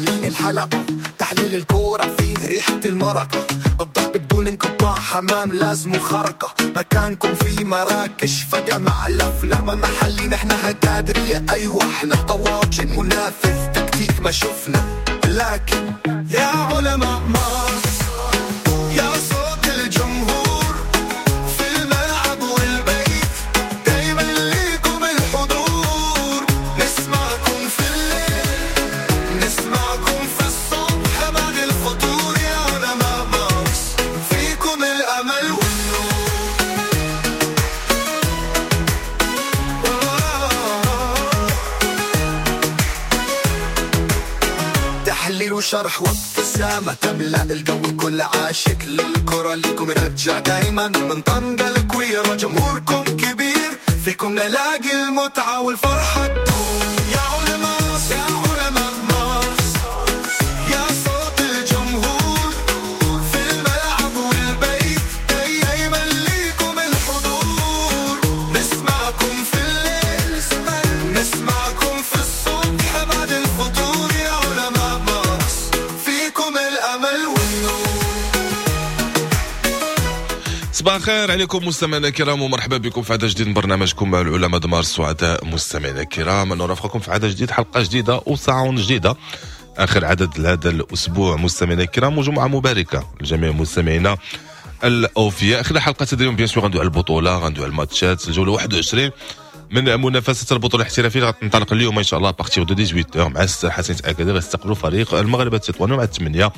عاملين الحلقة، تحليل الكورة فيه ريحة المرقة، الضرب بدون انقطاع، حمام لازم خرقة، مكانكم في مراكش فجأة مع الأفلام محلي، نحن هكادرية أيوة احنا طواجن منافذ تكتيك ما شفنا، لكن يا علماء مارس يا صوت الجمهور في الملعب والبيت، دايما ليكم الحضور، نسمعكم في الليل نسمعكم في الصبح بعد الفطور، يا علماء مارس فيكم الأمل والنور. تحليل وشرح وابتسامة تملأ الجو، كل عاشق للكرة ليكم رجع دايما، من طنجة الكويرة جمهوركم كبير، فيكم نلاقي المتعة والفرحة تدوم. يا علماء يا علماء مارس يا صوت الجمهور في الملعب والبيت، دايما ليكم الحضور، نسمعكم في الليل نسمعكم في الصبح بعد الفطور، يا علماء مارس فيكم الأمل والنور. صباح الخير عليكم مستمعينا الكرام، ومرحبا بكم في عدد جديد من برنامجكم مع العلماء د مارس. سعداء مستمعينا الكرام نرافقكم في عدد جديد، حلقة جديدة وساعة جديدة، اخر عدد لهذا الاسبوع مستمعينا الكرام، وجمعه مباركة لجميع مستمعينا الاوفياء. خلال حلقة اليوم bien sûr غندوي على البطولة، غندوي على الماتشات، الجولة 21 من منافسه البطولة الاحترافية غتنطلق اليوم ان شاء الله à partir de 18 مع الحسنيه اكادير غيستقبلوا فريق المغرب التطواني، مع 8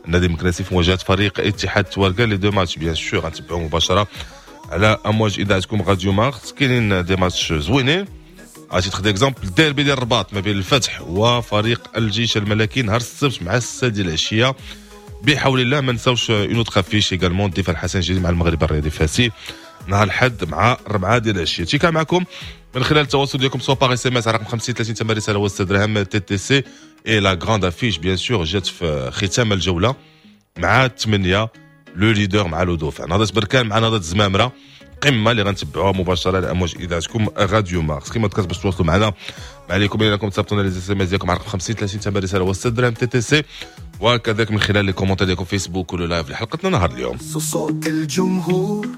النادي المكناسي في مواجهة فريق اتحاد تواركا. les deux matchs bien sûr غنتبعوا مباشرة على امواج اذاعتكم راديو مارس. كاينين des matchs زوينين، à titre d'exemple الديربي ديال الرباط ما بين الفتح وفريق الجيش الملكي نهار السبت مع 6 ديال العشية بحول الله. ما نساوش une autre affiche également، الدفاع الحسن الجديد مع المغرب الرياضي فاسي نهار الحد مع 4 ديال العشية. تيكا معكم من خلال التواصل ديالكم soit par SMS على رقم 50 30 ثمن رسالة و6 درهم TTC. et la grande affiche bien sûr جات في ختام الجولة مع 8 le leader مع le dauphin، نهضة بركان مع نهضة الزمامره، قمة اللي غنتبعوها مباشرة على امواج اذاعتكم راديو مارس. كما ذكرت باش تواصلوا معنا ما عليكم الا انكم تصيفطونا les SMS ديالكم على رقم 50 30 ثمن رسالة و6 درهم TTC، وكذلك من خلال les commentaires ديالكم فيسبوك ولا live لحلقتنا نهار اليوم. صوت الجمهور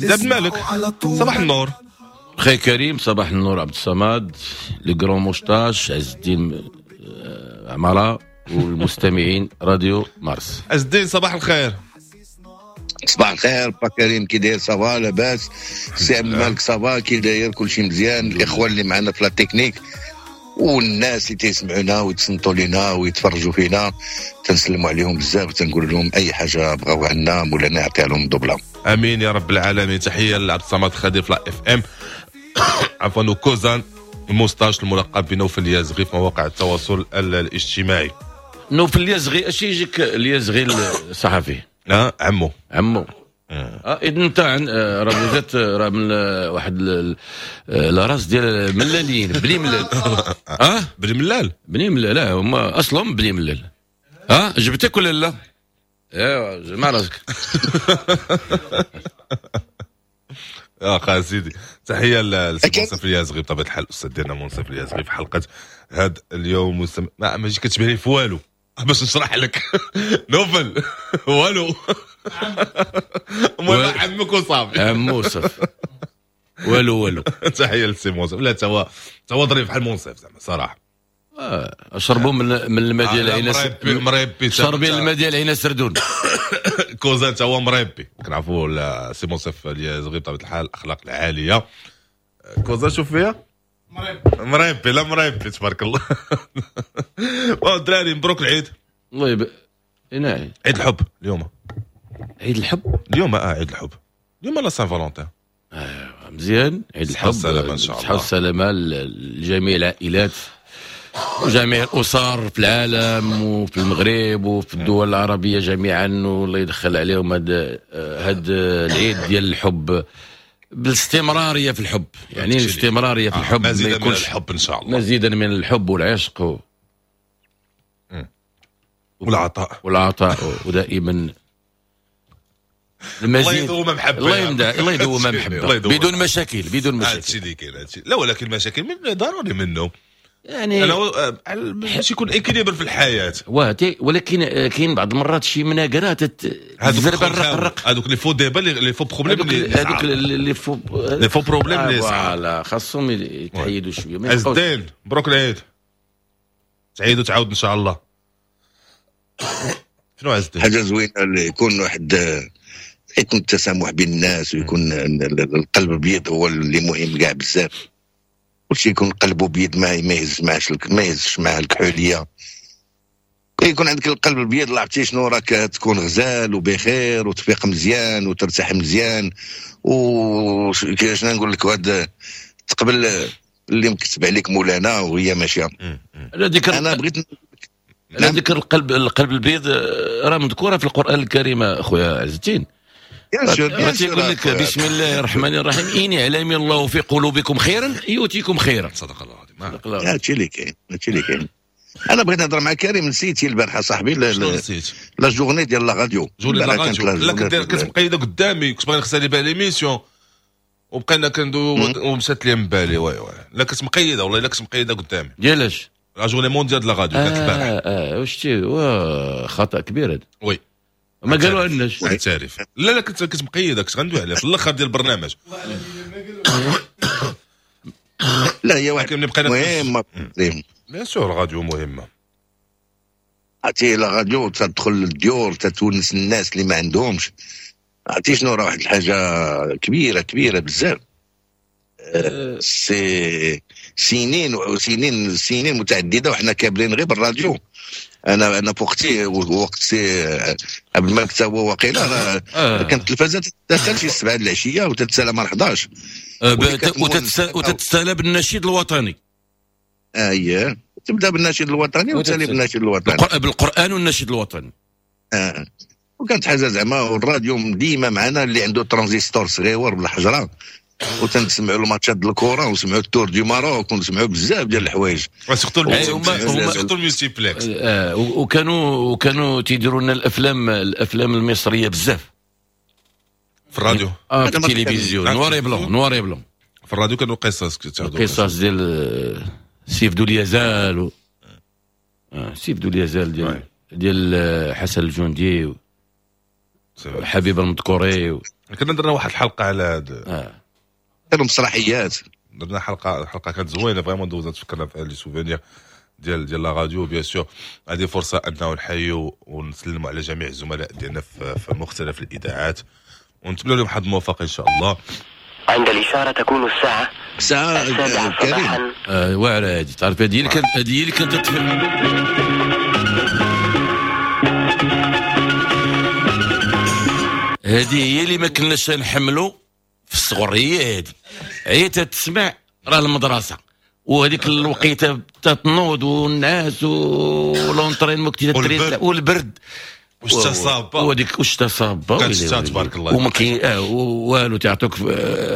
عبد المالك صباح النور. خي كريم صباح النور، عبد الصمد le grand moustache، عز الدين عمارة والمستمعين راديو مارس. عز الدين صباح الخير. صباح الخير با كريم، كي داير؟ ça va لاباس؟ سي عبد المالك ça va كي داير؟ كلشي مزيان؟ الاخوان اللي معنا في la technique والناس اللي تيسمعونا ويتصنتوا لينا ويتفرجوا فينا، تنسلموا عليهم بزاف وتنقول لهم اي حاجة بغاو عنا مولانا يعطيها لهم دوبله. امين يا رب العالمين. تحية لعبد الصمد خدير في la FM عفوا، كوزان الموستاش الملقب بنوفل اليازغي في مواقع التواصل الاجتماعي. نوفل اليازغي اش يجيك اليازغي الصحفي؟ لا عمو عمو. اذا انت راه وزات راه من واحد la race ديال ملاليين بني ملال. بني ملال بني ملال، لا هما اصلهم بني ملال. جبتك ولا لا؟ ايوا جمع راسك. اخا سيدي تحية لسي منصف اليازغي بطبيعة الحال، الاستاذ ديالنا منصف اليازغي في حلقة هذا اليوم. ما ماشي كتشبه لي في والو باش نشرح لك نوفل والو، المهم عمك وصافي عمو صافي والو والو. تحية لسي منصف، لا تا هو ظريف بحال منصف زعما صراحة. شربوا من الماء ديال عين مريبي، شربين الماء ديال عين سردون. كوزان تا هو مريبي، كنعرفوا سي منصف اليازغي بطبيعة الحال الاخلاق العالية. كوزان شوف فيها مريبي، لا مريبي تبارك الله. الدراري مبروك العيد. الله يبارك. نعم عيد الحب اليوم. عيد الحب اليوم؟ عيد الحب اليوم la Saint-Valentin. مزيان عيد الحب، السلامة ان شاء الله، الصحة والسلامة لجميع العائلات وجميع الأسر في العالم وفي المغرب وفي الدول العربية جميعا، والله يدخل عليهم هاد العيد ديال الحب بالاستمرارية في الحب، يعني الاستمرارية في الحب، مزيدا من الحب إن شاء الله، مزيدا من الحب والعشق والعطاء والعطاء، ودائما المزيد. الله يدوم محبة، الله يمدح، الله يدوم محبة بدون مشاكل، بدون مشاكل. هادشي اللي كاين هادشي. لا ولكن المشاكل من ضروري منه. يعني انا باش يكون équilibre في الحياه. ولكن كاين بعض المرات شي مناقره تزرب الرق، هذوك les faux débats، les faux problèmes، هذوك les faux les faux problèmes اللي voilà، خاصهم يتحيدوا شويه. عز الدين، مبروك العيد، تعيد وتعاود ان شاء الله. شنو عز الدين؟ حاجة زوينة اللي يكون واحد، يكون التسامح بين الناس ويكون القلب ابيض، هو اللي مهم كاع بزاف. كلشي يكون قلبه بيض، ما يهز معاش، ما يهزش معاه الكحوليه. يكون عندك القلب الابيض، عرفتي شنو، راك تكون غزال وبخير وتفيق مزيان وترتاح مزيان. و شنو نقول لك، وهاد تقبل اللي مكتب عليك مولانا وهي ماشيه. انا بغيت على ذكر القلب البيض، راه مذكورة في القران الكريم اخويا عز الدين. تيقول لك بسم الله الرحمن الرحيم: ان يعلم الله في قلوبكم خيرا يؤتيكم خيرا. صدق الله العظيم. هادشي اللي كاين، هادشي اللي كاين. انا بغيت نهضر مع كريم، نسيتي البارحة صاحبي نسيت la journée ديال la radio. journée la radio، لا، كنت مقيده قدامي، كنت باغي نخسر بها l'émission وبقينا كندوي ومشات لي من بالي. oui oui، لا، كنت مقيده، والله الا كنت مقيده قدامي. ديالاش؟ la journée mondiale la radio كانت البارح. اه، وشتي، خطا كبير هذا. oui. ما قالوا لناش. اعترف، لا لا، كنت مقيده، كنت غندوي عليها في الاخر ديال البرنامج. لا، هي واحد مهمه، bien sûr راديو مهمه. عرفتي la radio تدخل للديور، تتونس الناس اللي ما عندهمش. عرفتي شنو، راه واحد الحاجة كبيرة كبيرة بزاف. c'est سنين وسنين، سنين متعدده، وحنا كابرين غير بالراديو. انا في وقتي، وقت سي عبد الملك تا هو وقيله، كانت التلفازه تدخل شي 7 العشية وتتسالى مع 11. وتتسالى بالنشيد الوطني. اييه، تبدا بالنشيد الوطني وتسالي بالنشيد الوطني. بالقران والنشيد الوطني. آه. وكانت حاجة زعما، والراديو ديما معنا، اللي عنده ترانزيستور صغيور بالحجره، وتنسمعوا الماتشات ديال الكره ونسمعوا ال tour du Maroc ونسمعوا بزاف ديال الحوايج. surtout ال multiplex. آه، وكانوا تيديروا لنا الافلام المصرية بزاف. في الراديو. اه، في التلفزيون noir et blanc، noir et blanc. في الراديو كانوا قصص. قصص ديال سيف ذو اليزال سيف ذو اليزال ديال حسن الجندي حبيب المذكوري كنا درنا واحد الحلقة على هذا. كانوا مسرحيات. درنا حلقه كانت زوينة vraiment، دوزنا تفكرنا في les souvenirs ديال la radio. bien sûr هذه فرصة انه نحيوا ونسلموا على جميع الزملاء ديالنا في مختلف الاذاعات ونتمنى لهم حظ موفق ان شاء الله. عند الإشارة تكون الساعة ساعة السابعة كريم. صباحا. آه، واعرة هذه، تعرف هذه اللي كانت تتفل. هذه هي اللي ما كناش نحملوا في الصغر، هي هذه، هي تتسمع راه المدرسه، وهذيك الوقيته تتنوض والنعاس و l'entraînement كنتي والبرد. والبرد. والشتا صابه. وهذيك والشتا صابه. كانت ويلي الشتا ويلي. تبارك الله. وما كاين والو، تعطوك في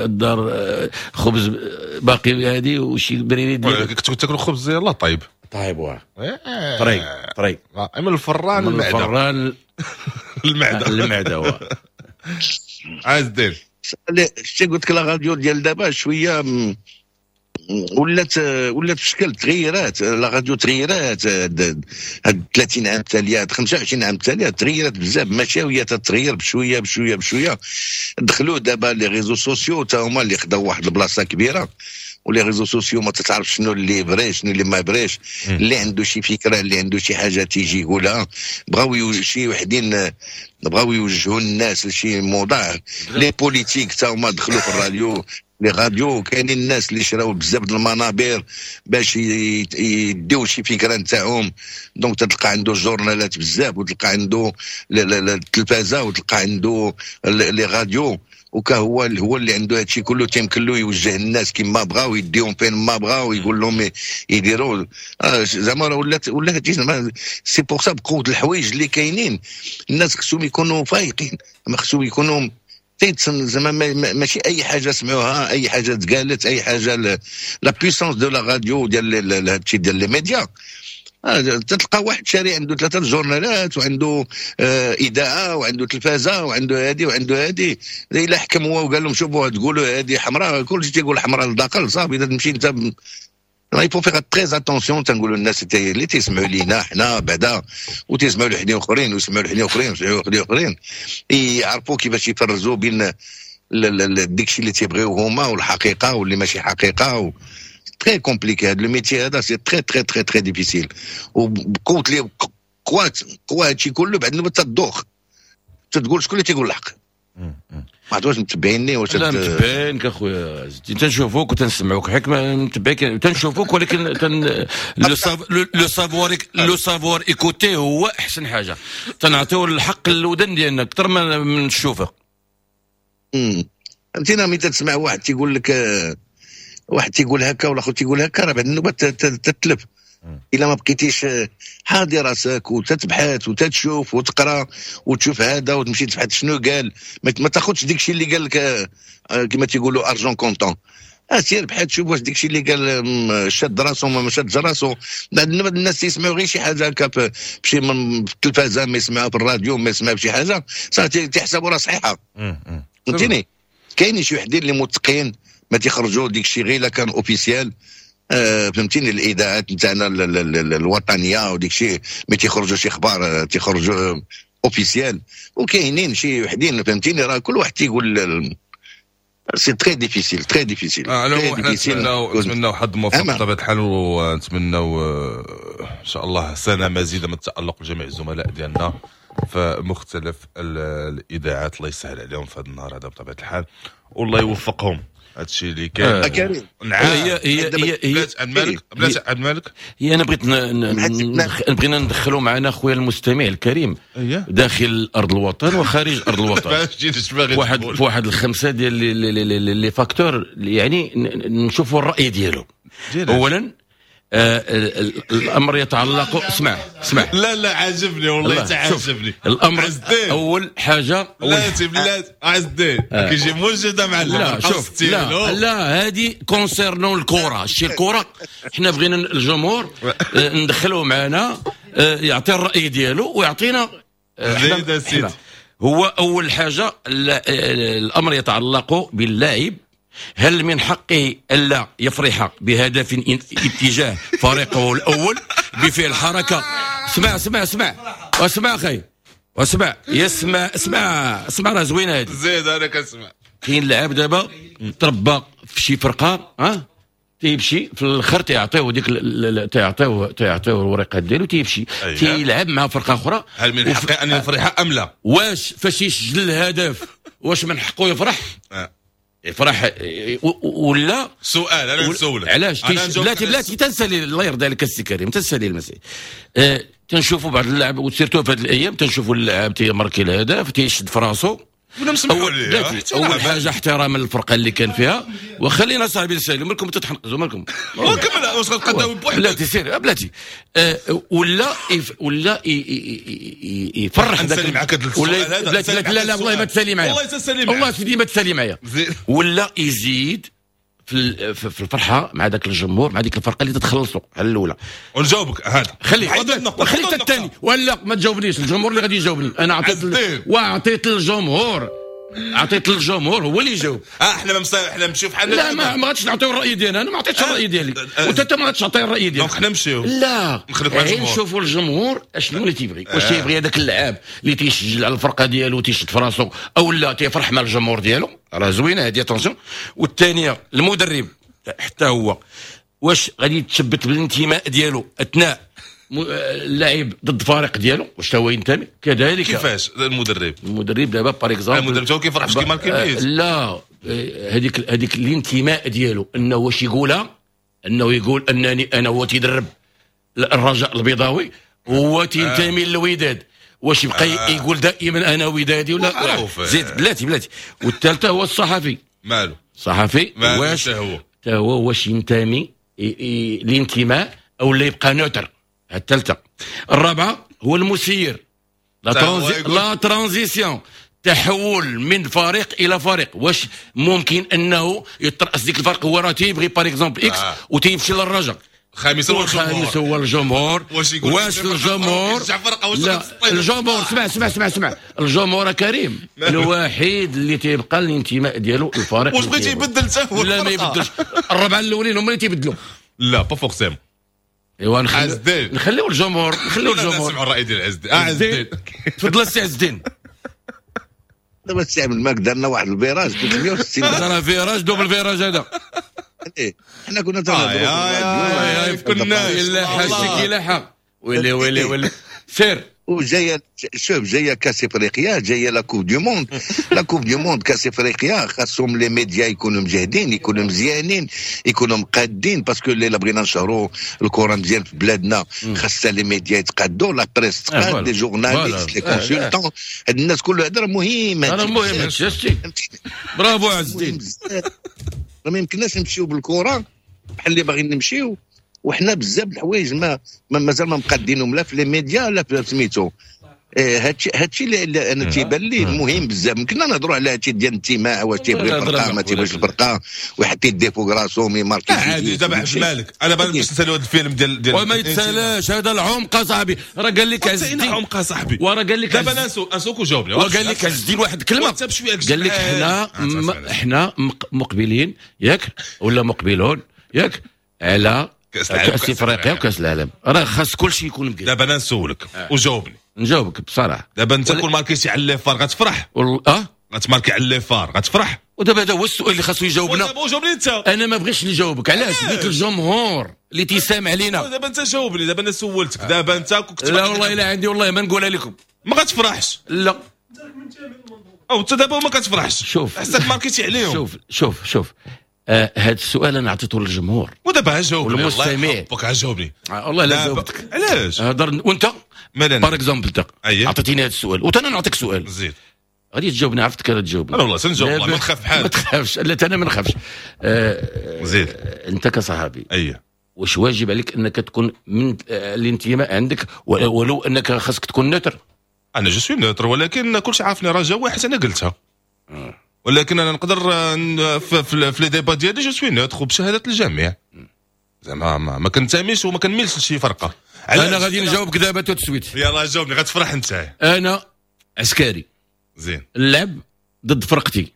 الدار خبز باقي هذه وشي بريري ديال كنت تاكل خبز يلاه طيب. طيب واه، طري طري. من الفران من المعده. الفران. المعده. المعدة واه. عايز دير شتي قلت لك la radio ديال دابا شوية ولات في شكل، تغيرات la radio، تغيرات هاد 30 عام التاليه، هاد 25 عام التاليه، تغيرات بزاف، ماشي وهي تتغير بشوية بشوية بشويه. دخلوا دابا les réseaux sociaux تا هما اللي خداو واحد البلاصة كبيره، و les réseaux sociaux ما تتعرف شنو اللي vrai، شنو اللي ما vrai ش. اللي عنده شي فكره، اللي عنده شي حاجه، تيجي يقولها. بغاو شي وحدين بغاو يوجهوا الناس لشي موضوع. les politiques تا هما دخلوا في الراديو، les radios. كاينين الناس اللي شراو بزاف د المنابر باش يديو شي فكرة نتاعهم، donc تلقى عنده جورنالات بزاف وتلقى عنده التلفازه وتلقى عنده les radios، وكهو هو اللي عنده هادشي كله، تيمكن له يوجه الناس كما بغاو، ويديهم فين ما بغاو، ويقول لهم يديروا زعما راه ولات هادشي زعما. c'est pour ça بقوة الحوايج اللي كاينين، الناس خصهم يكونوا فايقين، ما خصهم يكونوا تيتسن زعما ماشي اي حاجة سمعوها، اي حاجة تقالت، اي حاجه. la puissance de la radio ديال هادشي ديال les médias، تلقى واحد شاري عنده ثلاثة جورنالات وعنده اذاعة وعنده تلفازه وعنده هادي وعنده هادي. الا حكم هو وقال لهم شوفوا تقولوا هادي حمراء، كلشي تيقول حمراء للداخل، صافي تمشي انت. il faut faire très attention. تنقولوا الناس اللي تيسمعوا لينا حنا بعدا وتيسمعوا لوحدين اخرين ويسمعوا لوحدين اخرين ويسمعوا لوحدين اخرين، يعرفوا كيفاش يفرزوا بين داكشي اللي تيبغيو هما والحقيقة واللي ماشي حقيقة. très compliqué هذا le métier هذا، c'est très très très très difficile. وبقوت لي قوات قوا هادشي كله، بعد النوبة تدوخ، تتقول شكون اللي تيقول الحق؟ ما عرفت واش متبعيني واش. لا، متبعينك اخويا، تنشوفوك وتنسمعوك، حيت متبعيك تنشوفوك، ولكن تن le savoir écouter هو احسن حاجه. تنعطيو الحق للودن ديالنا اكثر من الشوفه. فهمتينا، ملي تسمع واحد تيقول لك، واحد تيقول هكا والاخر تيقول هكا، راه بعد النوبة تتلف الا ما بقيتيش حاضي راسك وتتبحث وتتشوف وتقرا وتشوف هذا وتمشي تبحث شنو قال. ما تاخذش ديك الشيء اللي قال لك كما تيقولوا argent comptant. سير بحث، شوف واش ديك الشيء اللي قال شاد راسو ما شاد راسو. الناس يسمعوا غير شي حاجة هكا بشي من في التلفازه، ما يسمعوا في الراديو، ما يسمعوا بشي حاجه، صافي تيحسبوا راه صحيحه. فهمتيني؟ كاينين شي وحدين اللي متقين، ما تيخرجوا ديك الشيء غير الا كان officiel. فهمتيني، الاذاعات نتاعنا الوطنية وديك الشيء ما تيخرجوا شي اخبار، تيخرجوا officiel. وكاينين شي وحدين، فهمتيني، راه كل واحد تيقول. c'est très difficile، très difficile. حنا نتمناو حظ موفق بطبيعة الحال، ونتمناو ان شاء الله سنة مزيده من التالق لجميع الزملاء ديالنا في مختلف الاذاعات. الله يسهل عليهم في هذا النهار هذا بطبيعة الحال، والله يوفقهم. هادشي اللي كاين. كريم. نعم. هي هي هي هي بلاتي عبد الملك، بلاتي عبد الملك. هي انا بغيت بغينا ندخلوا معنا خويا المستمع الكريم داخل ارض الوطن وخارج ارض الوطن. باش جيت باغي واحد تقول. في واحد الخمسة ديال les facteurs، يعني نشوفوا الراي ديالو. ديال اولا الامر يتعلق، اسمع اسمع. لا لا، عاجبني والله. الله، شوف، تعجبني الامر عز الدين. اول حاجة اول بلاتي بلاتي، عز الدين كيجي موجد معلم. لا شوف، لا لا، هذه concernant الكره، شي الكره. حنا بغينا الجمهور ندخلوه معنا، يعطي الراي ديالو ويعطينا زيد سيدي. هو اول حاجة الامر يتعلق باللاعب، هل من حقه الا يفرح بهدف اتجاه فريقه الاول بفعل حركه؟ اسمع اسمع اسمع اسمع اخي، اسمع، يسمع، اسمع اسمع، راه زوينة هذه. زيد، انا كنسمع. كاين لعاب دابا تربى في شي فرقه، ها تيمشي في الاخر تيعطيوه ديك تيعطيوه الورقات ديالو، تيمشي تيلعب مع فرقه اخرى. هل من حقه ان يفرح ام لا؟ واش فاش يسجل الهدف واش من حقه يفرح؟ يفرح ولا سؤال انا نسولك. علاش أنا نجاوبك. بلاتي على بلاتي، تنسالي الله يرضي عليك السي كريم، تنسالي المسائل. تنشوفوا بعض اللاعب و surtout في هذه الايام تنشوفوا اللاعب تيماركي الهدف تيشد في راسو. ولا مسمحوا اول ليه؟ بلاتي، احتراما. اول حاجة احتراما للفرقة اللي كان فيها، وخلينا صاحبي نسالي، مالكم تتحنقزوا مالكم؟ وكمل، واش غتقداوي بوحدك؟ بلاتي سير بلاتي. ولا ولا يفرح نسالي ذاك معاك هذا السؤال ولا هذا. بلاتي نسالي بلاتي، لا لا معاك والله ما السؤال. تسالي معايا. والله تسالي معاك. والله سيدي ما تسالي معايا. زيد. ولا يزيد في الفرحة مع ذاك الجمهور، مع ديك الفرقة اللي تتخلصوا على الاولى. ونجاوبك هذا. خلي حيد النقطة، خلي حيد حتى النقطة. الثاني، ولا ما تجاوبنيش، الجمهور اللي غادي يجاوبني. انا عطيت عز الدين. وعطيت للجمهور، عطيت للجمهور هو اللي يجاوب. احنا احنا نمشيو في حالنا. لا، ما غاديش نعطيو الراي ديالنا، انا ما عطيتش الراي ديالي وانت ما غاديش تعطي الراي ديالك. donc حنا نمشيو لا. نخليك مع غير الجمهور. نشوفوا الجمهور اشنو اللي تيبغي، واش تيبغي هذاك اللاعب اللي تيسجل على الفرقة ديالو تيشد في راسو او لا تيفرح مع الجمهور ديالو؟ راه زوينة هذه، attention. والثانية المدرب حتى هو واش غادي يتشبت بالانتماء ديالو اثناء اللاعب ضد فريق ديالو، واش هو ينتمي كذلك؟ كيفاش المدرب؟ المدرب دابا par exemple المدرب تا هو كيفرح باش كيماركي بيت. لا، هذيك الانتماء ديالو انه واش يقولها، انه يقول انني انا هو تيدرب الرجاء البيضاوي هو تينتمي للوداد، واش يبقى يقول دائما انا ودادي ولا معروف. زيد بلاتي بلاتي. والثالثة هو الصحفي. مالو؟ الصحفي مالو؟ واش حتى هو؟ حتى هو واش ينتمي الانتماء او لا يبقى neutre؟ الثالثه. الرابعة هو المسير لا حتى هو la transition، تحول من فريق الى فريق، واش ممكن انه يترأس ديك الفرق؟ هو راه تيبغي par exemple X وتيمشي للرجاء. خامسا هو والخامس الجمهور. هو الجمهور. واش يقول واش الجمهور يشجع فرقه واش لا غتسطيل؟ الجمهور، اسمع اسمع اسمع اسمع، الجمهور كريم الوحيد اللي تيبقى الانتماء ديالو الفريق واش اللي بغيتي تيبغي. يبدل حتى هو لا ما الفرقة؟ يبدلش. الربعه الاولين هما اللي تيبدلوا. لا pas forcément. ايوا عز الدين. نخليو الجمهور، نخليو الجمهور. نسمعوا الراي ديال عز الدين. عز الدين تفضل السي عز الدين. دابا السي عبد الملك درنا واحد ال virage 360. هذا راه virage double virage هذا. حنا كنا تنهضروا في كنا الا حاجتك الا حق ويلي ويلي ويلي سير. وجاية شوف جاية كاس افريقيا، جاية la coupe du monde، la coupe du monde كاس افريقيا خاصهم les médias يكونوا مجهدين، يكونوا مزيانين، يكونوا مقادين، parce que الا بغينا نشهروا الكره مزيان في بلادنا خاصها les médias يتقادوا، la presse تقاد، les journalistes، les consultants، هاد الناس كله هذا راه مهم. هذا مهم هادشي. برافو عز الدين. ما يمكنناش نمشيو بالكرة بحال اللي باغيين نمشيو، وحنا بزاف الحوايج ما مازال ما مقادينهم لا في les médias لا في سميتو. هادشي اللي انا تيبان لي مهم بزاف. يمكننا نهضروا على هادشي ديال الانتماء، واش تيبغي الفرقة ما تيبغيش الفرقة، ويحط يديه فوق راسو يماركي عادي. دابا عبد الملك انا باغي باش نساليو هذا الفيلم ديال وما يتسالاش هذا العمق صاحبي. راه قال لك عز الدين عمق صاحبي، وراه قال لك دابا نسوك وجاوبني. وقال لك عز الدين واحد الكلمة، قال لك حنا مقبلين ياك ولا مقبلون ياك على كاس افريقيا وكاس العالم، راه خاص كل شيء يكون مقاد. دابا انا نسولك وجاوبني. نجاوبك بصراحة. دابا انت كون ماركيتي على les FAR غتفرح؟ غتماركي على les FAR غتفرح؟ ودابا هذا هو السؤال اللي خاصو يجاوبنا. دابا جاوبني انت. انا ما بغيتش نجاوبك. علاش؟ بغيت الجمهور اللي تيسامع علينا. دابا انت جاوبني. دابا انا سولتك. دابا انت كنت لا والله الا عندي والله ما نقولها لكم. ما غتفرحش؟ لا. او انت دابا ما كتفرحش. شوف حسك ماركيتي عليهم. شوف شوف شوف هذا السؤال انا عطيته للجمهور. ودابا جاوبني والمستمع. جاوبني والله لا جاوبتك. علاش؟ هضر وانت par exemple انت عطيتيني هذا السؤال وانت انا نعطيك سؤال. زيد غادي تجاوبني، عرفتك غادي تجاوبني. انا والله سنجاوب والله ما نخاف بحالك. ما تخافش. لا انا ما نخافش. زيد انت كصحابي اييه واش واجب عليك انك تكون من الانتماء عندك ولو انك خاصك تكون neutre؟ انا je suis neutre، ولكن كلشي عارفني رجاوي واحد انا قلتها. ولكن انا نقدر في les débats ديالي je suis neutre وبشهاده الجميع. زعما ما كنتميش وما كنميلش لشي فرقه. انا غادي نجاوبك دابا tout de suite. يلاه جاوبني غتفرح انت. انا عسكري زين نلعب ضد فرقتي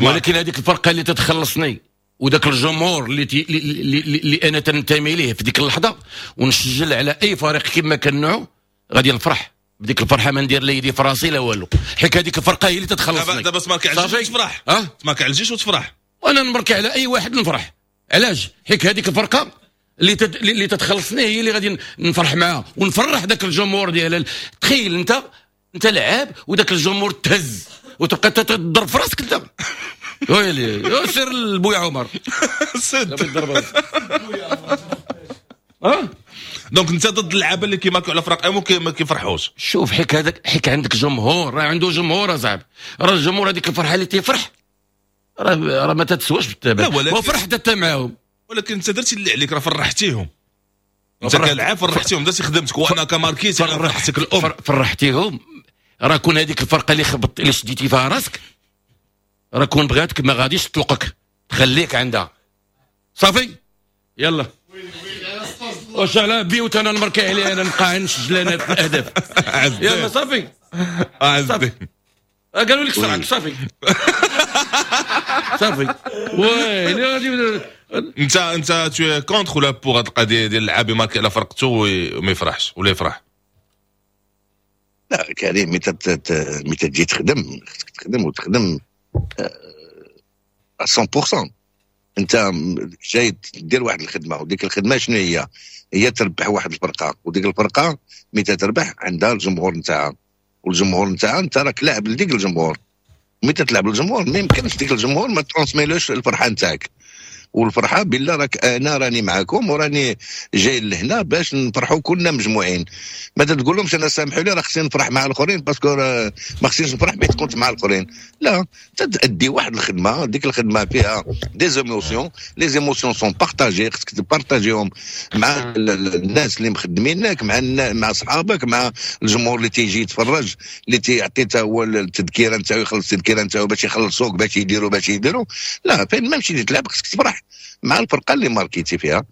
ولكن هذيك الفرقة اللي تتخلصني وذاك الجمهور اللي انا تنتمي ليه في ديك اللحظة ونسجل على اي فريق كما كان نوعه غادي نفرح بديك الفرحة، ما ندير لا يدي في راسي لا والو، حيت هذيك الفرقة هي اللي تتخلصني. دابا تماركي على الجيش وتفرح. تماركي على الجيش وتفرح. وانا نماركي على اي واحد نفرح. علاش؟ حيت هذيك الفرقة اللي تتخلصني هي اللي غادي نفرح معاها ونفرح ذاك الجمهور ديالها. تخيل انت لعاب وذاك الجمهور تهز وتبقى تضرب في راسك انت. ويلي سير لبويا عمر سد. donc انت ضد اللعابه اللي كيماركوا على فرق ما كيفرحوش. شوف حيك هذاك، حيك عندك جمهور، راه عنده جمهور اصاحبي، راه الجمهور هذيك الفرحة اللي تيفرح راه ما تتسواش بالتبع، وفرحت انت معاهم. ولكن انت درتي اللي عليك، راه فرحتيهم. انت كلاعب فرحتيهم، درتي خدمتك، وانا كماركيت انا فرحتك الام فرحتيهم. راه كون هذيك الفرقة اللي خبط اللي شديتي فيها راسك راه كون بغاتك ما غاديش تطلقك، تخليك عندها. صافي يلا واش على بيوت انا نمركي عليه، انا نبقى نسجل انا في الاهداف. يلا صافي صافي قالوا لك سرعك صافي صافي ويلي غادي انت tu es contre ولا pour هاد القضية ديال اللعاب يماركي على فرقته وما يفرحش ولا يفرح؟ لا كريم، متى تجي تخدم خصك تخدم وتخدم 100%. انت جاي دير واحد الخدمة، وديك الخدمة شنو هي؟ هي تربح واحد الفرقة، وديك الفرقة متى تربح عندها الجمهور نتاعها، والجمهور نتاعها انت راك لاعب لديك الجمهور. متى تلعب للجمهور ما يمكنش ديك الجمهور ما ترانسميلوش الفرحة نتاعك، والفرحه بالله راك انا راني معاكم وراني جاي لهنا باش نفرحوا كلنا مجموعين. ما تقول لهمش انا سامحوا لي راه خصني نفرح مع الاخرين parce que ما خصنيش نفرح حيت كنت مع الاخرين. لا، تادي واحد الخدمة، ديك الخدمة فيها des émotions، les émotions sont partagées، خصك تبارطاجيهم مع الناس اللي مخدمينك، مع صحابك، مع الجمهور اللي تيجي يتفرج، اللي تيعطي حتى هو التذكيره نتاعو، يخلص التذكيره نتاعو باش يخلصوك، باش يديروا. لا، فين ما مشيتي تلعب خصك تفرح مع الفرقة اللي ماركيتي فيها،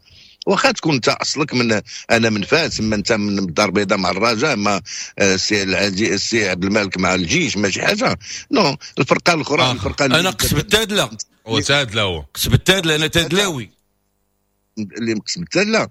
واخا تكون انت اصلك من انا من فاس، اما انت من الدار البيضاء مع الرجاء، اما السي عبد الملك مع الجيش، ماشي حاجة. non، الفرقة الاخرى الفرقة انا قصب التادله، هو تادله، هو قصب التادله، انا تادلاوي. اللي مقسم. لا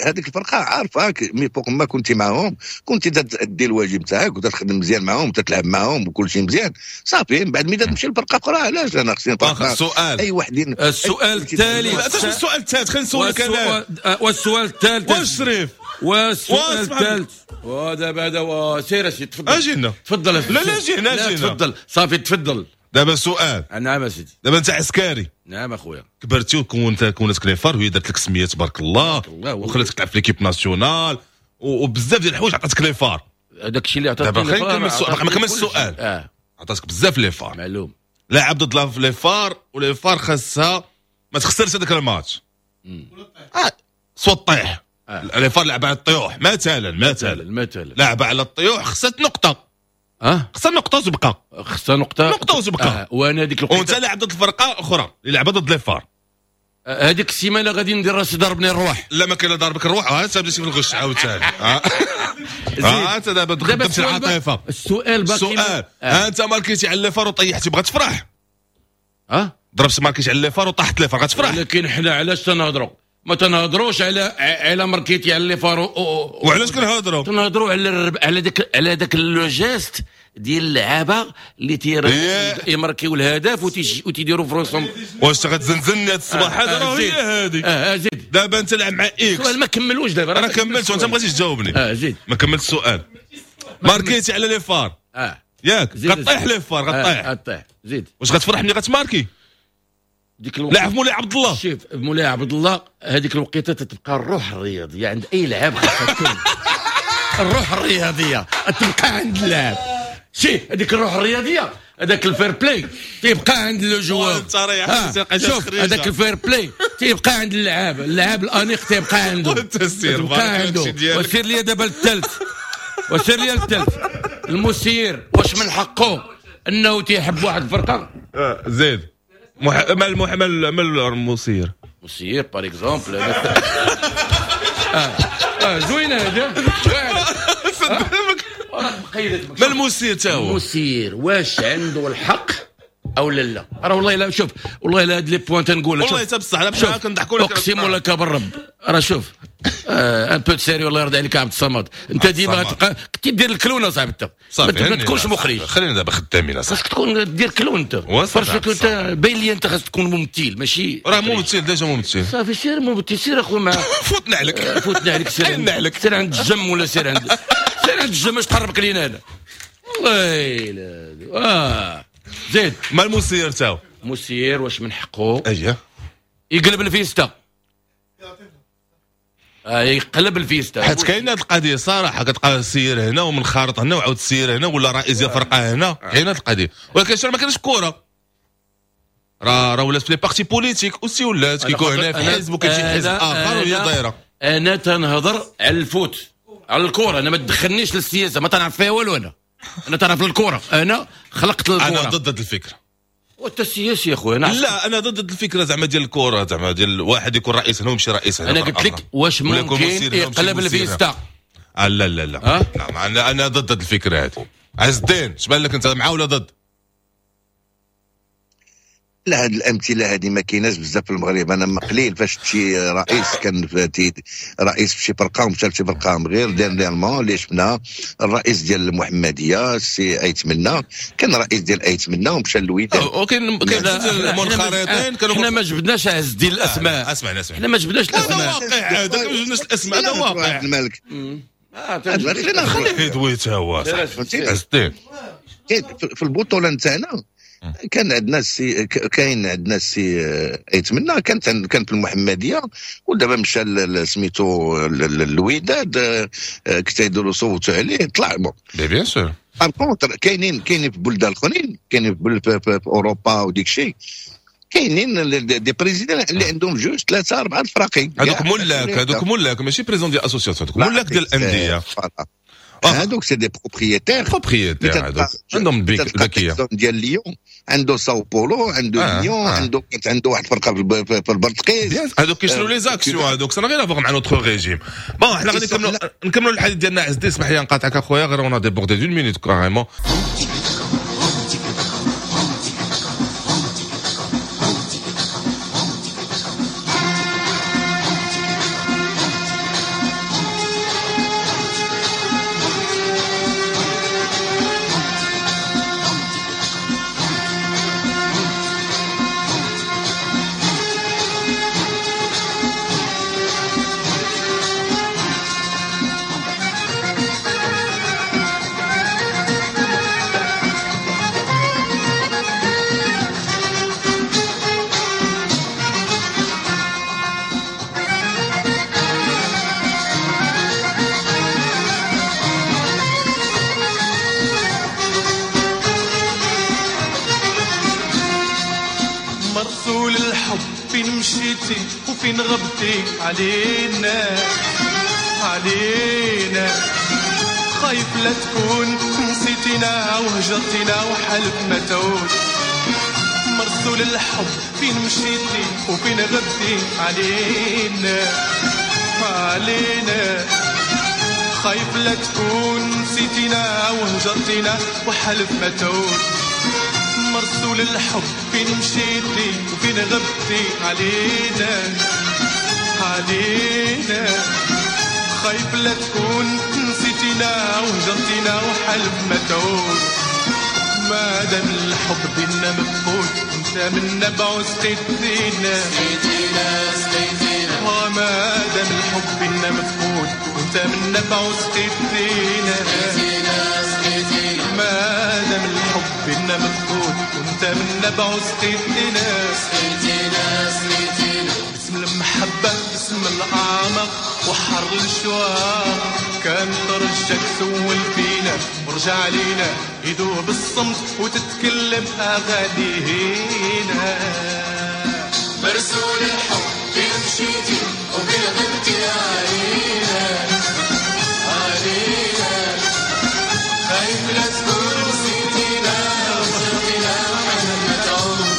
هذيك الفرقة عارفاك mais فوق ما كنتي معاهم كنتي تأدي الواجب تاعك وتخدم مزيان معاهم وتتلعب معاهم وكل شيء مزيان صافي. من بعد ملي تمشي لفرقة اخرى علاش انا خصني سؤال اي واحد. السؤال الثالث، السؤال الثالث خلينا نسولك انا. والسؤال الثالث واش شريف؟ والسؤال الثالث ودابا هذا سير اسيدي تفضل. اجينا تفضل. لا لا جينا جينا تفضل صافي تفضل. دابا سؤال. نعم اسيدي. دابا انت عسكري. نعم اخويا. كبرتي وكونت كونتك les FAR وهي درت لك سميه تبارك الله وخلاتك تلعب في l'équipe nationale وبزاف ديال الحوايج عطاتك les FAR. هذاك الشيء اللي عطاتك دابا خلينا نكمل السؤال. ما كملش السؤال. عطاتك بزاف les FAR معلوم. لاعب ضد les FAR و les FAR خاصها ما تخسرش هذاك الماتش. soit طيح. les FAR لعب على الطيوح مثلا مثلا لعب على الطيوح خسرت نقطة. خسر نقطة وتبقى. خسر نقطة وتبقى. وانا ديك الوقيته وانت لاعب ضد الفرقة اخرى اللي لعبه ضد les FAR. هذيك السيمانة غادي ندير راسي ضربني الروح. لا ما كاين ضربك الروح. انت بديتي في الغش عاوتاني. انت دابا دخلت العاطفة. السؤال باقي. السؤال انت ماركيتي على les FAR وطيحتي بغات تفرح. ضربت ماركيتي على les FAR وطاحت les FAR غتفرح. ولكن حنا علاش تنهضروا؟ ما تنهضروش على ماركيتي على les FAR. وعلاش كنهضروا؟ تنهضروا على داك على داك le geste ديال اللعابه اللي تيماركيو الهدف وتيديروا فرونسهم. واش غتزنزلني هاد الصباح هذا؟ راه هي هادي. زيد دابا انت لعب مع X. السؤال ما كملوش دابا. انا كملت وانت ما بغيتيش تجاوبني. زيد ما كملت السؤال. ماركيتي على les FAR ياك غطيح les FAR غطيح. غطيح زيد. واش غتفرح ملي غتماركي؟ ديك الوقت لعب مولاي عبد الله. شوف مولاي عبد الله هذيك الوقيته تتبقى الروح الرياضية عند اي لاعب خاصها تكون. الروح الرياضية تبقى عند اللاعب. شي هذيك الروح الرياضية هذاك ال fair-play تيبقى عند le joueur. شوف هذاك ال fair-play تيبقى عند اللاعب، اللاعب الانيق تيبقى عنده. تبقى عنده. وسير لي دابا الثالث. وسير لي الثالث. المسير واش من حقه انه تيحب واحد الفرقة؟ زيد مال المسير. مسير par exemple زوينة هذا. ما المسير تا هو؟ المسير واش عنده الحق او لا؟ لا راه والله لا شوف والله لا هاد les points تنقول والله حتى بصح لا بحال كنضحكوا لك. اقسم لك بالرب راه شوف un peu sérieux الله يرضي عليك عبد الصمد. انت ديما كنتي دير ال clown اصاحبي انت ما تكونش مخرج. خلينا دابا خدامين اصاحبي. خاصك تكون دير clown انت. parce que انت باين لي انت خاصك تكون ممثل ماشي. راه ممثل déjà ممثل. صافي سير ممثل سير اخويا مع فوتنا عليك. فوتنا عليك سير سير عند الجم ولا سير عند سير عند الجم اش تقربك لينا هنا. والله لا زيد. ما المسير تاعو؟ مسير واش من حقه؟ اييه يقلب الفيستا. يقلب الفيستا. حيت كاينه هذه القضية صراحة كتلقى سير هنا ومن خارط هنا وعاود سير هنا ولا رئيس ديال فرقه هنا. كاينه هذه القضية ولكن شنو ما كاينش كره راه ولات في les partis politiques aussi ولات كيكون هنا في حزب وكيمشي لحزب اخر وهي دايرة. انا تنهضر على ال foot على الكره. انا ما تدخلنيش للسياسة ما تنعرف فيها والو. انا تعرف الكره. انا خلقت الكره. انا ضد الفكرة. وانت السياسي يا خويا. لا انا ضد الفكرة زعما ديال الكره زعما ديال واحد يكون رئيس هنا ويمشي رئيس هنا. انا قلت لك واش ممكن يقلب الفيستا؟ لا لا لا لا انا ضد الفكرة هذه. عز الدين اش بان لك انت مع ولا ضد؟ لا هاد الامثلة هذه ما كايناش بزاف في المغرب. انا قليل فاش شي رئيس كان رئيس في شي فرقه ومشى لشي فرقه غير dernièrement اللي شفنا الرئيس ديال المحمدية السي ايتمنى كان رئيس ديال ايتمنى ومشى للوداد. وكاين كاين المنخرطين كانوا. حنا ما جبدناش عز الدين الاسماء. اسمع حنا ما جبدناش الاسماء. هذا واقع هذا ما جبدناش الاسماء هذا واقع. عبد الملك خليه يدوي تا هو عز الدين. في البطولة نتاعنا كان عندنا السي كاين عندنا السي ايتمنى كان في المحمدية ودابا مشى سميتو الوداد كتيديروا صوتوا عليه طلع bon bien sûr. par contre كاينين في بلدان اخرين كاينين في اوروبا وديك الشيء كاينين des présidents اللي عندهم جوج ثلاثة اربعة الفراقي. هذوك ملاك ماشي président ديال association، هذوك ملاك ديال الاندية. هذوك c'est des propriétaires propriétaires عندهم الباكيه ديال ليون، عنده ساو بولو، عنده ليون، عنده عنده واحد الفرقة في البرتقيز. هذوك كيشروا les actions، هذوك ça n'a rien à voir مع notre régime. bon حنا غادي نكملوا الحديث ديالنا. عز الدين اسمح لي نقاطعك اخويا، غير on a débordé d'une minute carrément. الحب فين مشيتي وفين غبتي علينا علينا، خايف لا تكون نسيتينا وهجرتينا وحلف ما تعود. مرسول الحب فين مشيتي وفين غبتي علينا علينا، خايف لا تكون نسيتينا وهجرتينا وحلف ما تعود. مرسول الحب فين مشيتي وفين غبتي علينا علينا، خايف لا تكون نسيتينا وهجرتينا وحلف ما تعود. ما دام الحب بينا مفقود انت من نبع سقيتينا سقيتينا سقيتينا، ما دام الحب بينا مفقود وانت من نبع سقيتينا سقيتينا سقيتينا، ما دام الحب بينا مفقود وانت من نبع سقيتينا سقيتينا سقيتينا. باسم المحبة باسم الأعمق وحر الشواق كان ترجك سول فينا ورجع علينا يذوب الصمت وتتكلم أغانينا. مرسول الحب فين مشيتي وفين غبتي علينا علينا، خايف لا تكون نسيتينا وهجرتينا وحلف ما تعود.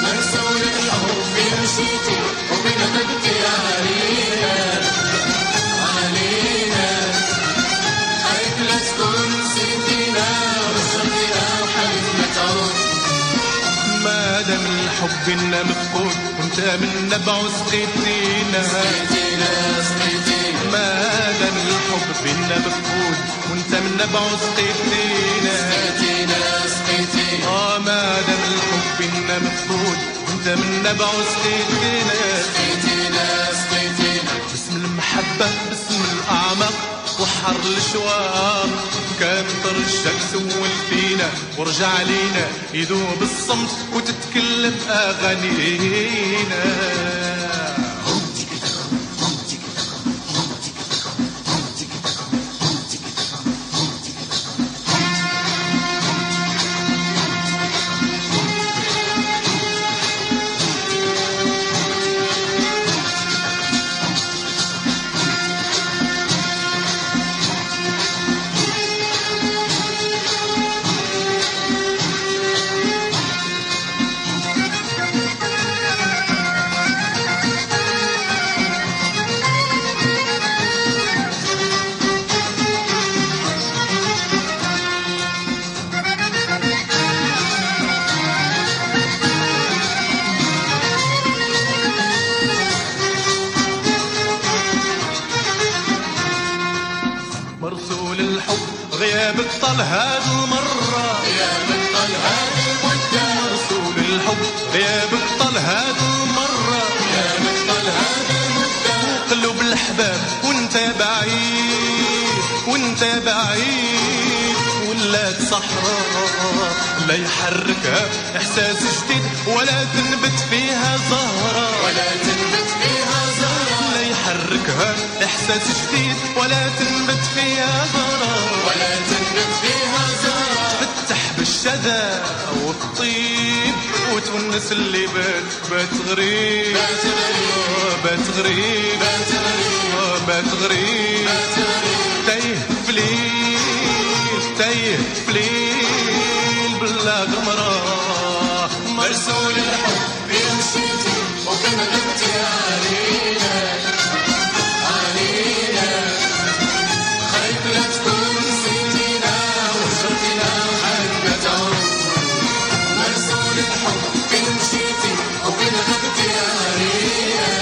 مرسول الحب فين مشيتي وفين غبتي علينا علينا، خايف لا تكون نسيتينا وهجرتينا وحلف ما تعود. ما دام الحب بينا مفقود وانت من نبع سقيتينا سقيتينا سقيتينا، ما دام الحب بينا مفقود وانت من نبع سقيتينا سقيتينا سقيتينا، ما دام الحب بينا مفقود وانت من نبع سقيتينا سقيتينا سقيتينا. باسم المحبة باسم الأعمق وحر الشواق كان ترجك سول فينا ورجع علينا يذوب الصمت وتتكلم أغانينا. غيابك طال هاد المرة، غيابك طال هاد المدة، مرسول الحب غيابك طال هاد المرة، غيابك طال هاد المدة، قلوب الأحباب وانت بعيد وانت بعيد ولات صحراء لا يحركها إحساس جديد ولا تنبت فيها زهرة، ولا تنبت فيها زهرة، لا يحركها إحساس جديد ولا تنبت فيها زهرة، ولا تنبت فيها زهرة، تفتح بالشذا والطيب وتونس اللي بات بات غريب بات غريب بات غريب بات غريب بات غريب بات غريب، تايه في ليل تايه في ليل بلا غمرة. مرسول الحب فين مشيتي وفين غبتي علينا علينا، خايف لا تكون نسيتينا وهجرتينا وحالك ما تعود. مرسول الحب فين مشيتي وفين غبتي علينا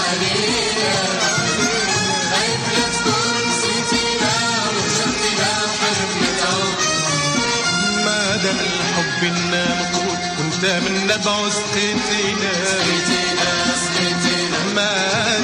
علينا، خايف لا تكون نسيتينا وهجرتينا وحالك ما تعود. ما دام الحب بينا مفقود وانت من نبع سقيتينا سقيتينا سقيتينا، ما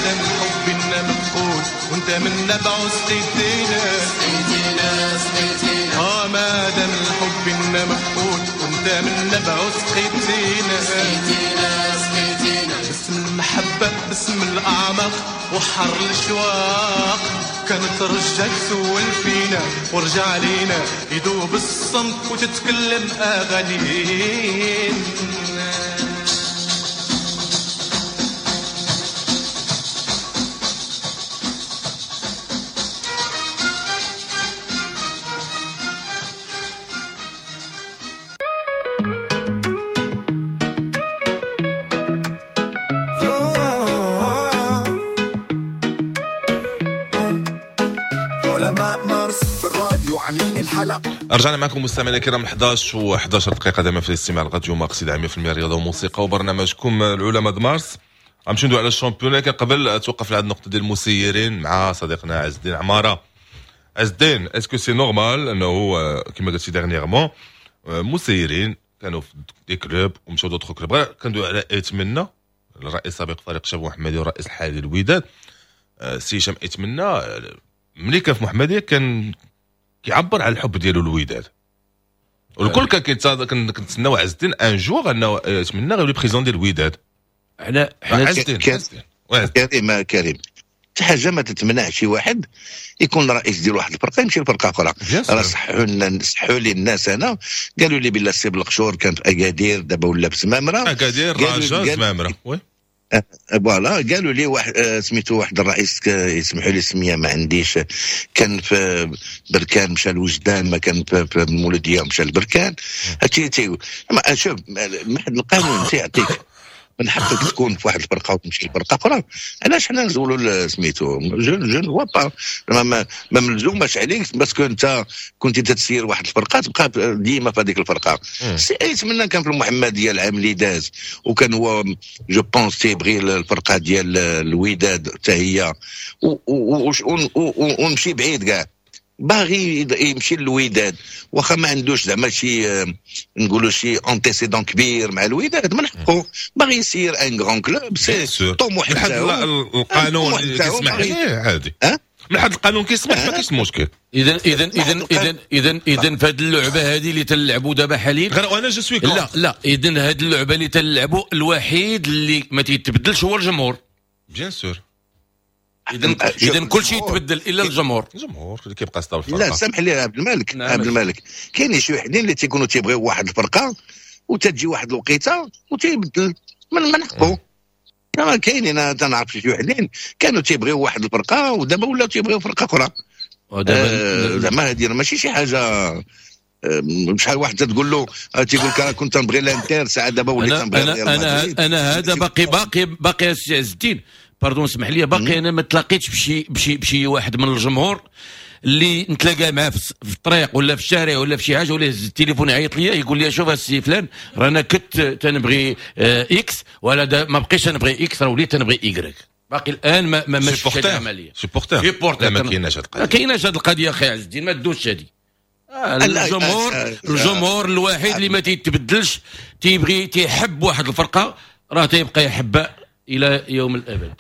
دام الحب بينا مفقود وانت من نبع سقيتينا سقيتينا سقيتينا، ما دام الحب بينا مفقود وانت من نبع سقيتينا سقيتينا سقيتينا. باسم المحبة باسم الأعمق وحر الشواق كانت رجاك سول فينا ورجع علينا يذوب الصمت وتتكلم أغانينا. الحلقة. رجعنا معكم مستمعينا الكرام 11 و11 دقيقة دائما في الاستماع لراديو مارس 100% رياضة وموسيقى وبرنامجكم العلماء د مارس. غنمشيو ندوي على ال championnat، لكن قبل توقف لهذه النقطة ديال المسيرين مع صديقنا عز الدين عمارة. عز الدين، est-ce que c'est normal انه كما قلتي dernièrement مسيرين كانوا في des clubs ومشاو d'autres clubs؟ كندوي على ايت منا، الرئيس السابق فريق شباب محمدي والرئيس الحالي للوداد، سي هشام ايت منا، ملي كان في محمديه كان كيعبر على الحب ديالو للوداد، والكل كان كنتسناو عز الدين un jour انه ايت منا غيولي président ديال الوداد. حنا عز الدين، كريم كريم، حتى حاجة ما تتمنع شي واحد يكون رئيس ديال واحد الفرقة يمشي لفرقة اخرى. راه صحوا لنا، صحوا لي الناس، انا قالوا لي بلا سي بالقشور كان في اكادير، دابا ولا في زمامره. اكادير، رجاء، زمامره، oui. voilà، قالوا لي واحد سميتو، واحد الرئيس، يسمحوا لي السمية ما عنديش، كان في بركان مشى لوجدان، ما كان في المولوديه مشى لبركان. هادشي تي شوف، واحد القانون تيعطيك من حقك تكون في واحد الفرقة وتمشي لفرقة اخرى. علاش حنا نزولوا سميتو؟ je ne vois pas، ما ملزوماش عليك parce que انت كنت تتسير واحد الفرقة تبقى ديما في هذيك الفرقة. سي ايت منا كان في المحمدية العام اللي داز، وكان هو je pense تيبغي الفرقة ديال الوداد حتى هي، ونمشي بعيد كاع، باغي يمشي للوداد، واخا ما عندوش زعما شي نقولوا شي antécédent كبير مع الوداد، من حقه باغي يسير un grand club، c'est طموح. من حد القانون كيسمح ليه عادي، من حد القانون كيسمح، ما كاينش مشكل. اذا في هذه اللعبة هذه اللي تلعبوا دابا حاليا، غير انا je suis لا لا، اذا هذه اللعبة اللي تلعبوا الوحيد اللي ما تيتبدلش هو الجمهور. bien sûr. اذا كل شيء يتبدل الا الجمهور. الجمهور اللي كيبقى stable الفرقة. لا سامح لي عبد الملك. نعم. عبد الملك، كاين شي وحدين اللي تيكونوا تيبغيو واحد الفرقة وتجي واحد الوقيته وتيبدل، من حقه. كاينين، انا تنعرف شي وحدين كانوا تيبغيو واحد الفرقة ودابا ولاو تيبغيو فرقه اخرى. زعما هذه ماشي شي حاجة. شحال واحد تقول له، تيقول لك كنت نبغي الانتر، ساعة دابا وليت نبغي ريال مدريد. انا هذا باقي باقي باقي السي عز الدين، pardon اسمح لي، باقي انا ما تلاقيتش بشي واحد من الجمهور اللي نتلاقى معاه في الطريق ولا في الشارع ولا في شي حاجة، ولا يهز التليفون يعيط ليا يقول لي شوف السي فلان، رانا كنت تنبغي X ولا ما بقيتش نبغي X، راه وليت تنبغي Y. باقي الان ما شفتش هذه العملية. supporter supporter ما كايناش هذه القضية، ما كايناش هذه القضية اخي عز الدين، ما تدوش هذه. الجمهور الوحيد اللي ما تيتبدلش، تيبغي تيحب واحد الفرقة راه تيبقى يحبها الى يوم الابد.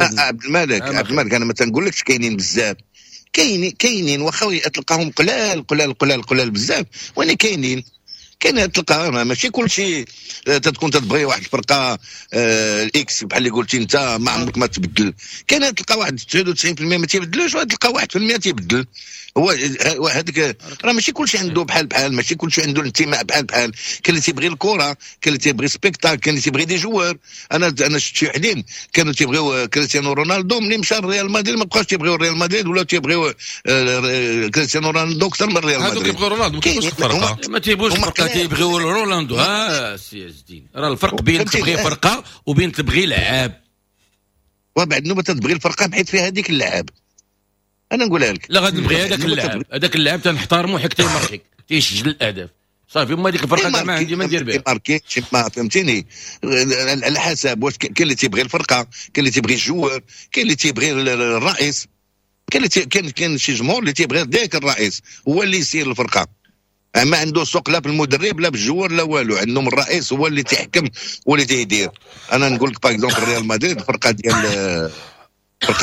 عبد الملك، عبد الملك، انا ما تنقولكش كاينين بزاف، كاينين واخا تلقاهم قلال قلال قلال قلال بزاف، ولكن كاينين، كاين تلقى ماشي كلشي تتكون تتبغي واحد الفرقة ال X بحال اللي قلتي انت ما عمرك ما تبدل. كاين تلقى واحد 99% ما تيبدلوش، وتلقى 1% تيبدل. هو هذاك راه ماشي كلشي عنده بحال بحال، ماشي كلشي عنده الانتماء بحال بحال. كاين اللي تيبغي الكره، كاين اللي تيبغي spectacle، كاين اللي تيبغي des joueurs. انا شفت شي وحدين كانوا تيبغيو كريستيانو رونالدو، ملي مشى لريال مدريد ما بقاوش تيبغيو ريال مدريد، ولا تيبغيو كريستيانو رونالدو اكثر من ريال مدريد. هذوك كيبغيو رونالدو، ما كيبغيوش الفرقة، ما تيبغيوش الفرقة، تيبغيو رونالدو. ها سي عز الدين، راه الفرق بين تبغي فرقه وبين تبغي لعاب. وبعد نوبه تبغي الفرقة بحيث فيها هذيك اللعاب. انا نقولها لك، لا غادي نبغي هذاك اللاعب، هذاك اللاعب تنحترمو حيت تيماركي تيسجل الاهداف صافي. هما ديك الفرقة ما عندي ما ندير بها، ماركي ما فهمتيني، على حسب واش كاين اللي تيبغي الفرقة، كاين اللي تيبغي ال joueur، كاين اللي تيبغي الرئيس، كاين اللي كاين شي جمهور اللي تيبغي ذاك الرئيس هو اللي يسير الفرقة، ما عنده سوق لا بالمدرب لا بال joueur لا والو، عندهم الرئيس هو اللي تيحكم هو اللي تيدير. انا نقول لك par exemple ريال مدريد، الفرقة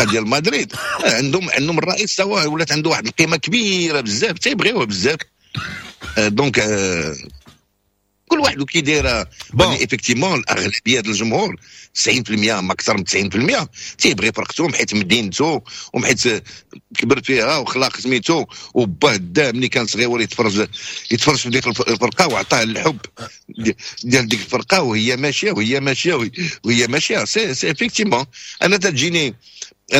ديال مدريد عندهم الرئيس سوا ولات عنده واحد القيمة كبيرة بزاف، تيبغيوه بزاف. donc كل واحد وكيداير. effectivement الاغلبية ديال الجمهور 90% ما اكثر من 90% تيبغي فرقته حيت مدينته وحيت كبر فيها وخلاق سميتو، وباه دا ملي كان صغير يتفرج في ديك الفرقة وعطاه الحب ديال ديك الفرقة، وهي ماشية وهي ماشية وهي ماشية. c'est effectivement انا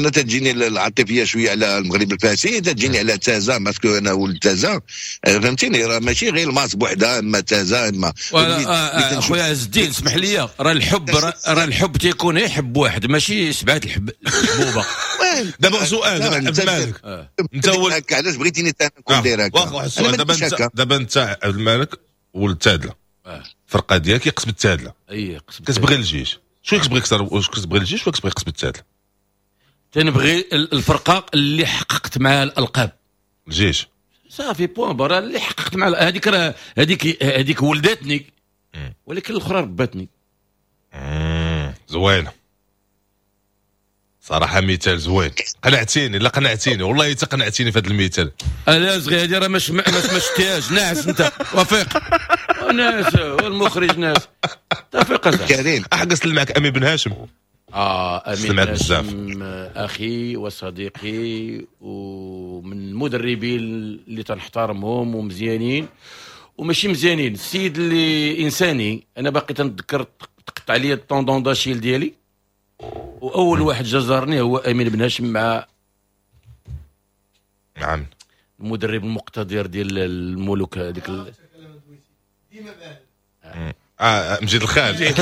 تجيني العاطفية شوية على المغرب الفاسي، تجيني على تازا parce que انا ولد تازا، فهمتيني؟ راه ماشي غير الماس بوحدها، اما تازا اما خويا عز الدين اسمح لي، راه الحب راه الحب تيكون يحب واحد ماشي سبعة الحبوبه. دابا سؤال، دابا عبد المالك، انت هو علاش بغيتيني نكون داير هكا؟ واخا، واحد السؤال دابا، انت دابا انت عبد المالك ولد تادله، الفرقة ديالك قصبة التادله. اي قصبة. كتبغي الجيش، شنو كتبغي اكثر؟ واش كتبغي الجيش ولا كتبغي قصبة التادله؟ تنبغي الفرقة اللي حققت معها الالقاب. الجيش. صافي، point barre. اللي حققت مع هذيك راه هذيك ولدتني، ولكن الاخرى ربتني. زوينة صراحه، مثال زوين، قنعتيني، لا قنعتيني، والله تقنعتيني في هذا المثال. لا صغير، هذه راه ما شتيهاش، ناعس انت وفيق، ناعس والمخرج ناعس، تفيق. كريم. احقس معك امين بن هاشم. اه، امين بن هاشم اخي وصديقي ومن المدربين اللي تنحترمهم ومزيانين وماشي مزيانين، السيد اللي انساني. انا باقي تنتذكر تقطع لي ال tendon d'Achille ديالي، واول واحد جزرني هو امين بن هاشم مع المدرب المقتدر ديال الملوك هذيك. اه، مجيد الخال،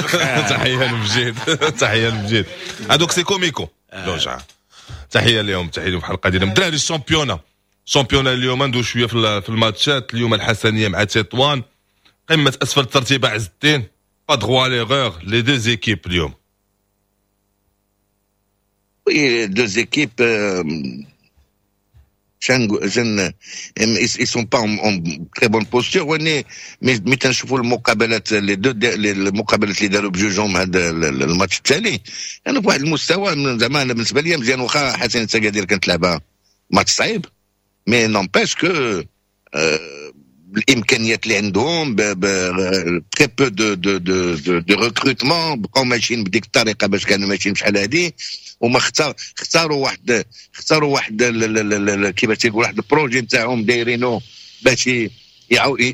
تحية لمجيد، تحية لمجيد. هذوك c'est comico جوج، تحية لهم، تحية لهم في الحلقة ديالهم. الدراري، ال championnat، championnat اليوم ندوي شوية في الماتشات. اليوم الحسنيه مع تطوان، قمة اسفل الترتيب. عز الدين، pas droit à l'erreur les deux équipes اليوم. oui، deux équipes ils sont pas en très bonne posture، وني mais تنشوفوا المقابلات، les deux المقابلات اللي داروا بجوجهم هذا الماتش التالي، يعني في واحد المستوى زعما انا بالنسبة لي مزيان. واخا حسنية اكادير كانت لعبه ماتش صعيب، mais n'empêche que بالامكانيات اللي عندهم، très peu de recrutements، بقاو ماشيين بديك الطريقة باش كانوا ماشيين بشحال هادي، وما اختاروا واحد كيفاش تيقول واحد ال projet نتاعهم دايرينو باش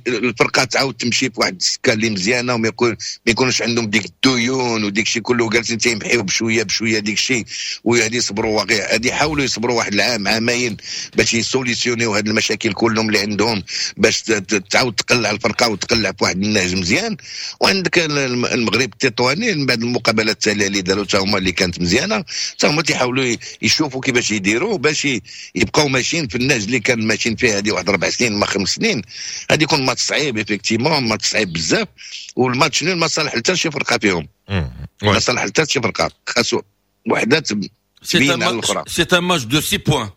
الفرقة تعاود تمشي في واحد السكة اللي مزيانه، وما يكون ما يكونوش عندهم ديك الديون وديك الشيء كله. جالسين تيمحيو بشوية بشوية ديك الشيء، وهذه يصبروا، هذه يحاولوا يصبروا واحد العام عامين باش يسوليسيونيو هذه المشاكل كلهم اللي عندهم، باش تعاود تقلع الفرقة وتقلع في واحد النهج مزيان. وعندك المغرب التطواني، من بعد المقابلات التالية اللي داروا حتى هما اللي كانت مزيانه، حتى هما تيحاولوا يشوفوا كيفاش يديروا باش يبقاو ماشيين في النهج اللي كان ماشيين فيه هذه واحد 4 سنين ما 5 سنين. هذه يكون ماتش صعيب، effectivement match صعيب بزاف، وال match nul ما صالح حتى شي فرقه فيهم، ما صالح حتى شي فرقه، خاصو وحده تبين على الاخرى. c'est un match de 6 points.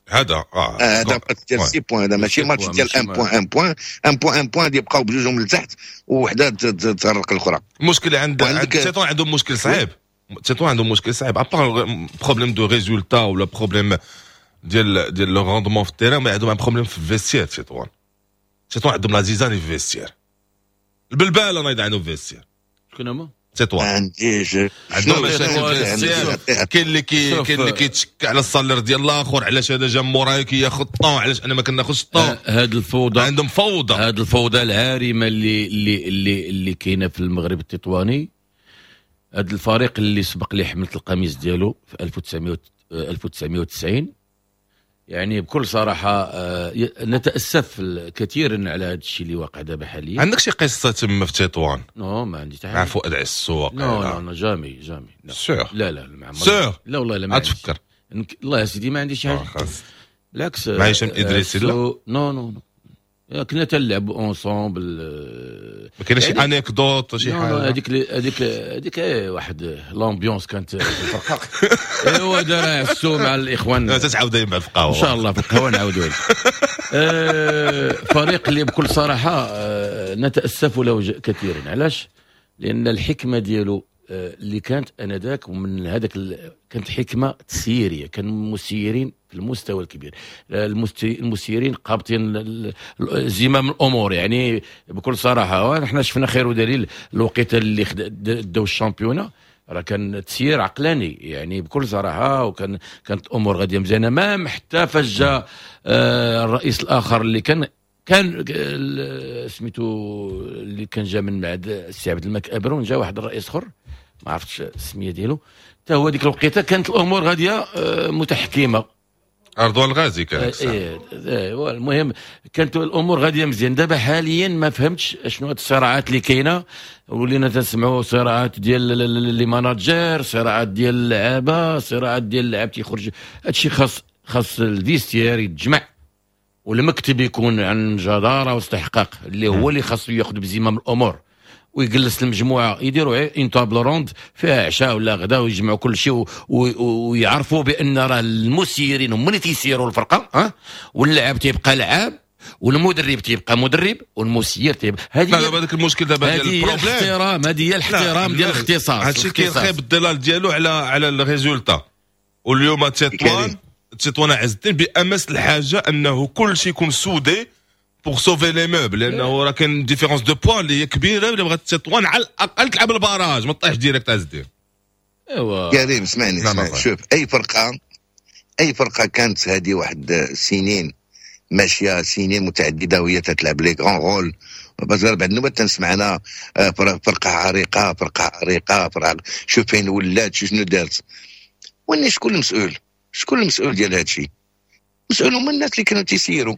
هذا هذا ماتش ديال 6 points، هذا ماشي ماتش ديال 1 point، 1 point، 1 point، 1 point، يبقاو بجوجهم لتحت وحده تغرق الاخرى. المشكل عند تيطوان، عندهم مشكل صعيب، تيطوان عندهم مشكل صعيب، à part problème de résultats ولا problème ديال le rendement في ال terrain، mais عندهم un problème في ال vestiaire. تيطوان عندهم la zizanie في ال vestiaire، البلباله نايض عندهم في ال vestiaire. شكون هما؟ تطوان. عنديش. عندهم مشاكل في ال vestiaire، كاين اللي كيتشك على ال salaire ديال الاخر، علاش هذا جا موراي كياخذ tant، علاش انا ما كناخذش tant؟ هاد الفوضى. عندهم فوضى. هاد الفوضى العارمه اللي كاينه في المغرب التطواني، هاد الفريق اللي سبق لي حملت القميص ديالو في 1900 1990، يعني بكل صراحة نتاسف كثيرا على هذا الشيء اللي واقع دابا حاليا. عندك شي قصة تما في تطوان؟ non، ما عندي حتى. مع فؤاد عسو؟ non non non، jamais jamais. sûr؟ لا لا، ما sûr؟ لا والله لا، ما عنديش. تفكر. الله يا سيدي ما عندي شي حاجه، بالعكس. مع هشام ادريسي؟ لا. non non non، كنا تنلعبوا ensemble. ما كاينش شي anecdote، شي حاجه؟ هذيك واحد l'ambiance كانت في الفرقه، ايوا دار عسو مع الاخوان. تتعاود دائما في القهوه. ان شاء الله في القهوة نعاودوا. فريق اللي بكل صراحة نتاسف له كثيرا. علاش؟ لان الحكمة ديالو اللي كانت انذاك ومن هذاك كانت حكمه تسييريه، كان مسيرين في المستوى الكبير، المسيرين قابطين زمام الامور. يعني بكل صراحة نحن شفنا خير ودليل الوقيته اللي داو ال championnat، راه كان تسيير عقلاني، يعني بكل صراحه، كانت الامور غادية مزيانه، même حتى فاش جا الرئيس الاخر اللي كان سميتو اللي كان جا من بعد السي عبد الملك ابرون، جا واحد الرئيس اخر ما عرفتش السمية ديالو، حتى هو ديك الوقيته كانت الامور غادية متحكمه. رضوان الغازي كان. ايه المهم كانت الامور غادية مزيان. دابا حاليا ما فهمتش شنو هاد الصراعات اللي كاينه، ولينا تنسمعوا صراعات ديال les managers، صراعات ديال اللعابه، صراعات ديال اللاعب تيخرج. هادشي خاص ال vestiaire يتجمع والمكتب يكون عن جداره واستحقاق، اللي هو اللي خاصو ياخذ بزمام الامور ويجلس المجموعه، يديروا une table ronde فيها عشاء ولا غدا ويجمعوا كل شيء ويعرفوا بان راه المسيرين هما اللي تيسيروا الفرقة، ها واللاعب تيبقى لعاب والمدرب تيبقى مدرب والمسير تيبقى. هذه دابا هذاك المشكل دابا ديال ال problème، الاحترام، هذه هي الاحترام ديال الاختصاص. هادشي كيرخي بالظلال ديالو على ال résultat. واليوم تطوان عز الدين بامس الحاجة انه كل شيء يكون soudé pour sauver les meubles، لانه راه كاين différence de points اللي هي كبيره، اللي بغات تطوان على الاقل تلعب ال barrage، ما طيحش direct عز الدين. ايوا كريم اسمعني، اسمعني، شوف اي فرقه كانت هذه واحد سنين ماشيه، سنين متعددة وهي تتلعب les grands rôles، بس بعد النوبات تنسمع انا فرقه عريقه، فرقه عريقه، فرقه، شوف فين ولات، شنو دارت. واني شكون المسؤول؟ شكون المسؤول ديال هذا الشيء؟ المسؤول هما الناس اللي كانوا تيسيروا،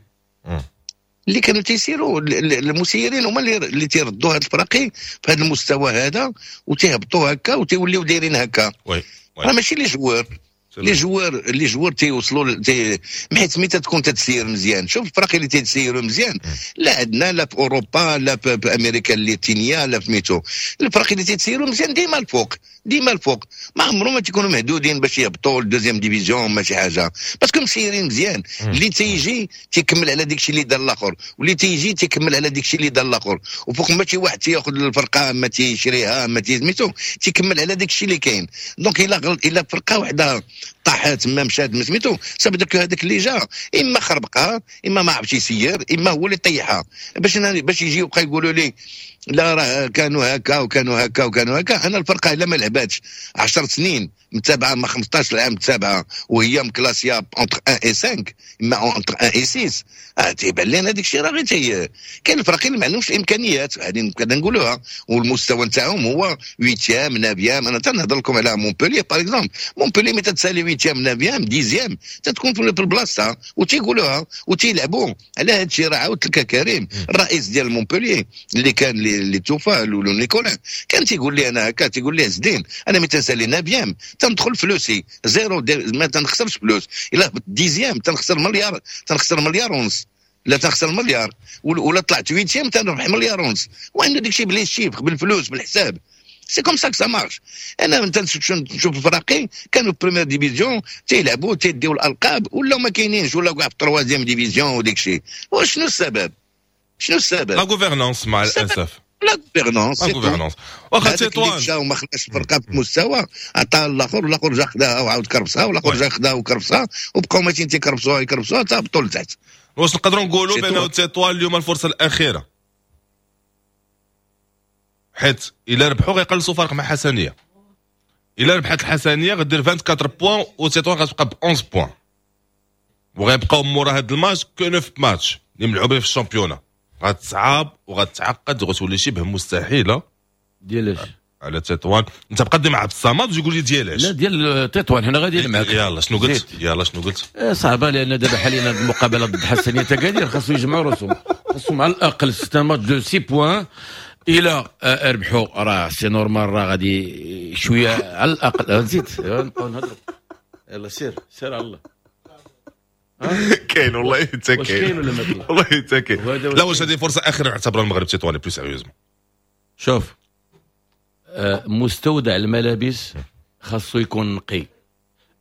اللي كانوا تيسيروا، المسيرين هما اللي تيردوا هاد الفراقي في هذا المستوى هذا وتيهبطوا هكا وتيوليو دايرين هكا. راه ماشي les joueurs، les joueurs تيوصلوا حيت ملي تكون تتسير مزيان، شوف الفرق اللي تيسيروا مزيان، لا عندنا لا في اوروبا لا في امريكا اللاتينية لا في ميتو، الفرق اللي تيسيروا مزيان ديما الفوق، ديما الفوق، ما عمرهم ما تيكونوا مهدودين باش يهبطوا لل deuxième division ما شي حاجه، parce que مسيرين مزيان. اللي تيجي تيكمل على ديك الشيء اللي دار الاخر، واللي تيجي تيكمل على ديك الشيء اللي دار الاخر، وفوق ما شي واحد تياخذ الفرقة ما تيشريها ما تيسميتو تيكمل على ديك الشيء اللي كاين. donc الا فرقه وحده طاحت ما مشات ما سميتو، ça veut dire هذاك اللي جا اما خربقها اما ما عرفش يسير اما هو اللي طيحها. باش يجي يبقى يقولوا لي لا راه كانوا هكا وكانوا هكا وكانوا هكا. انا الفرقة الا ما لعباتش 10 سنين متابعه، ما 15 عام متابعه، وهي مكلاسيه entre 1 et 5 اما entre 1 et 6، تيبان لنا هذاك الشيء راه غير كاين الفرق اللي ما عندهمش الامكانيات، هذه نقدر نقولوها، والمستوى نتاعهم هو 8، 9. انا تنهضر لكم على مونبوليي par exemple. مونبوليي ملي تتسالي 8، 9، 10 تتكون في البلاصة وتيقولوها وتيلعبوا على هذا الشيء. راه عاودت لك كريم، الرئيس ديال مونبوليي اللي كان اللي توفى، لولو نيكولا، كان تيقول لي انا هكا، تيقول لي عز الدين انا ملي تنسالي 9 تندخل فلوسي zéro، ما تنخسرش فلوس. الا dixième تنخسر مليار، تنخسر مليار ونص، لا تنخسر مليار، ولا طلعت huitième تنربح مليار ونص. وعنده داكشي ب les chiffres، بالفلوس، بالحساب. c'est comme ça ça marche. انا نشوف الفراقي كانوا في première division تيلعبوا تيديو الالقاب، ولاو ما كاينينش، ولاو كاع في troisième division وديك الشيء. وشنو السبب؟ شنو السبب؟ la gouvernance مع الاسف. la gouvernance. la gouvernance. واخا تطوان مشى وما خلاش الفرقة في المستوى، عطاها الاخر، والاخر جا خداها وعاود كرفسها، والاخر جا خداها وكرفسها، وبقاو ماشيين تيكرفسوها يكرفسوها حتى هبطوا لتحت. واش نقدروا نقولوا بانه تطوان اليوم الفرصة الاخيره؟ حيت الا ربحوا غيقلصوا فرق مع حسنيه، الا ربحت الحسنيه غدير 24 points وتطوان غتبقى ب 11 points، وغيبقاو مورا هاد الماتش que 9 ماتش اللي ملعوبين في ال championnat. غتصعب وغتعقد وغتولي شبه مستحيلة. ديالاش؟ على تطوان. انت بقى مع عبد الصمد وتقول لي ديالاش. لا، ديال تطوان، حنا غاديين معاك. يلا شنو قلت؟ يلا شنو قلت؟ صعبه، لان دابا حاليا المقابلة ضد حسنيه اكادير خاصو يجمعوا راسهم، خاصهم على الاقل c'est un match de 6 points. الى ربحوا راه c'est normal، راه غادي شوية على الاقل. زيد نبقاو نهضروا، يلا سير سير على الله. كاين والله انت كاين. كاين ولا ما كاين؟ والله انت كاين. لا، واش هذه فرصة اخيرة يعتبرها المغرب التطواني plus sérieusement؟ شوف، مستودع الملابس خاصو يكون نقي.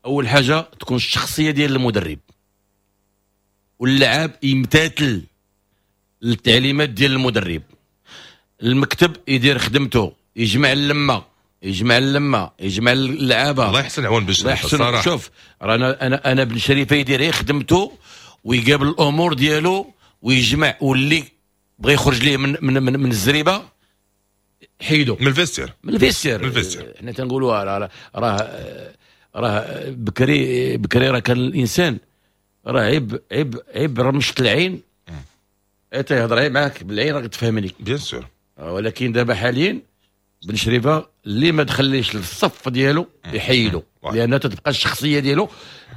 اول حاجة تكون الشخصية ديال المدرب، واللاعب يمتثل للتعليمات ديال المدرب، المكتب يدير خدمته، يجمع اللمه، يجمع اللمه، يجمع اللعابه. الله يحسن عوان باش الله يحسن. شوف، رانا انا بن شريفه يدير خدمته ويقابل الامور ديالو ويجمع، واللي بغى يخرج ليه من الزريبه حيدو. من ال vestiaire. من ال vestiaire. من ال vestiaire. حنا تنقولوا راه بكري بكري راه كان الانسان راه عيب عيب عيب رمشة العين تيهضر معاك بالعين راك تفهمني. bien sûr. ولكن دابا حاليا بن شريفه اللي ما دخليش للصف ديالو يحيدو، لان تتبقى الشخصية ديالو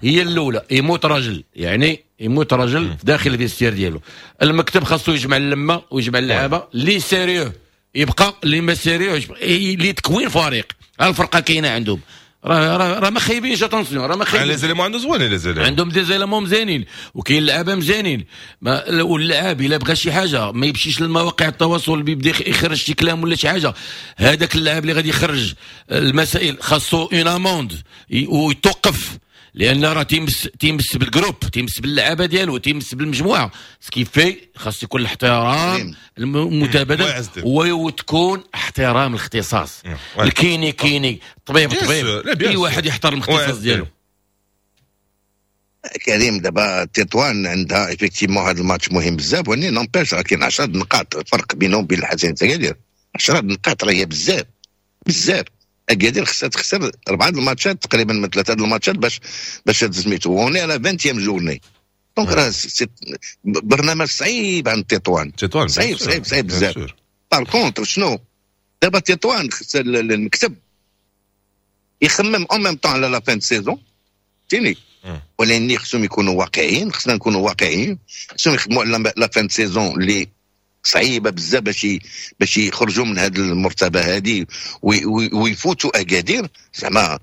هي الاولى. يموت راجل، يعني يموت راجل داخل ال vestiaire ديالو. المكتب خاصو يجمع اللمة ويجمع اللعابه اللي sérieux يبقى، اللي ما sérieux اللي تكوين فريق. الفرقة كاينه عندهم، راه ما خايبينش، attention، راه ما خايبين. les éléments عندهم زوينين، les éléments عندهم des éléments مزيانين وكاين لعابه مزيانين. واللاعب الا بغى شي حاجة ما يمشيش للمواقع التواصل بيبدا يخرج شي كلام ولا شي حاجه. هذاك اللاعب اللي غادي يخرج المسائل خاصو une amende ويتوقف، لان راه تيمس بال groupe، تيمس باللعابه ديالو، تيمس بالمجموعه. ce qui fait خاص يكون الاحترام المتبادل وتكون احترام الاختصاص. ال kiné kiné، طبيب طبيب، اي واحد يحترم الاختصاص ديالو. كريم، دابا تطوان عندها effectivement هذا الماتش مهم بزاف، ولكن n'empêche راه كاين 10 نقاط فرق بينهم وبين الحسنية اكادير. 10 نقاط راه هي بزاف بزاف. اكادير خصها تخسر اربعة الماتشات تقريبا من ثلاثة الماتشات باش سميتو. on est à la 20 journée، donc راه برنامج صعيب عند تطوان. تطوان صعيب صعيب صعيب بزاف. par contre شنو دابا تطوان؟ خص المكتب يخمم en même temps على la fin saison تيني، ولكن خصهم يكونوا واقعيين، خصنا نكونوا واقعيين. خصهم يخدموا على la fin saison اللي صعيبة بزاف باش يخرجوا من هذه المرتبة هذه ويفوتوا اكادير. زعما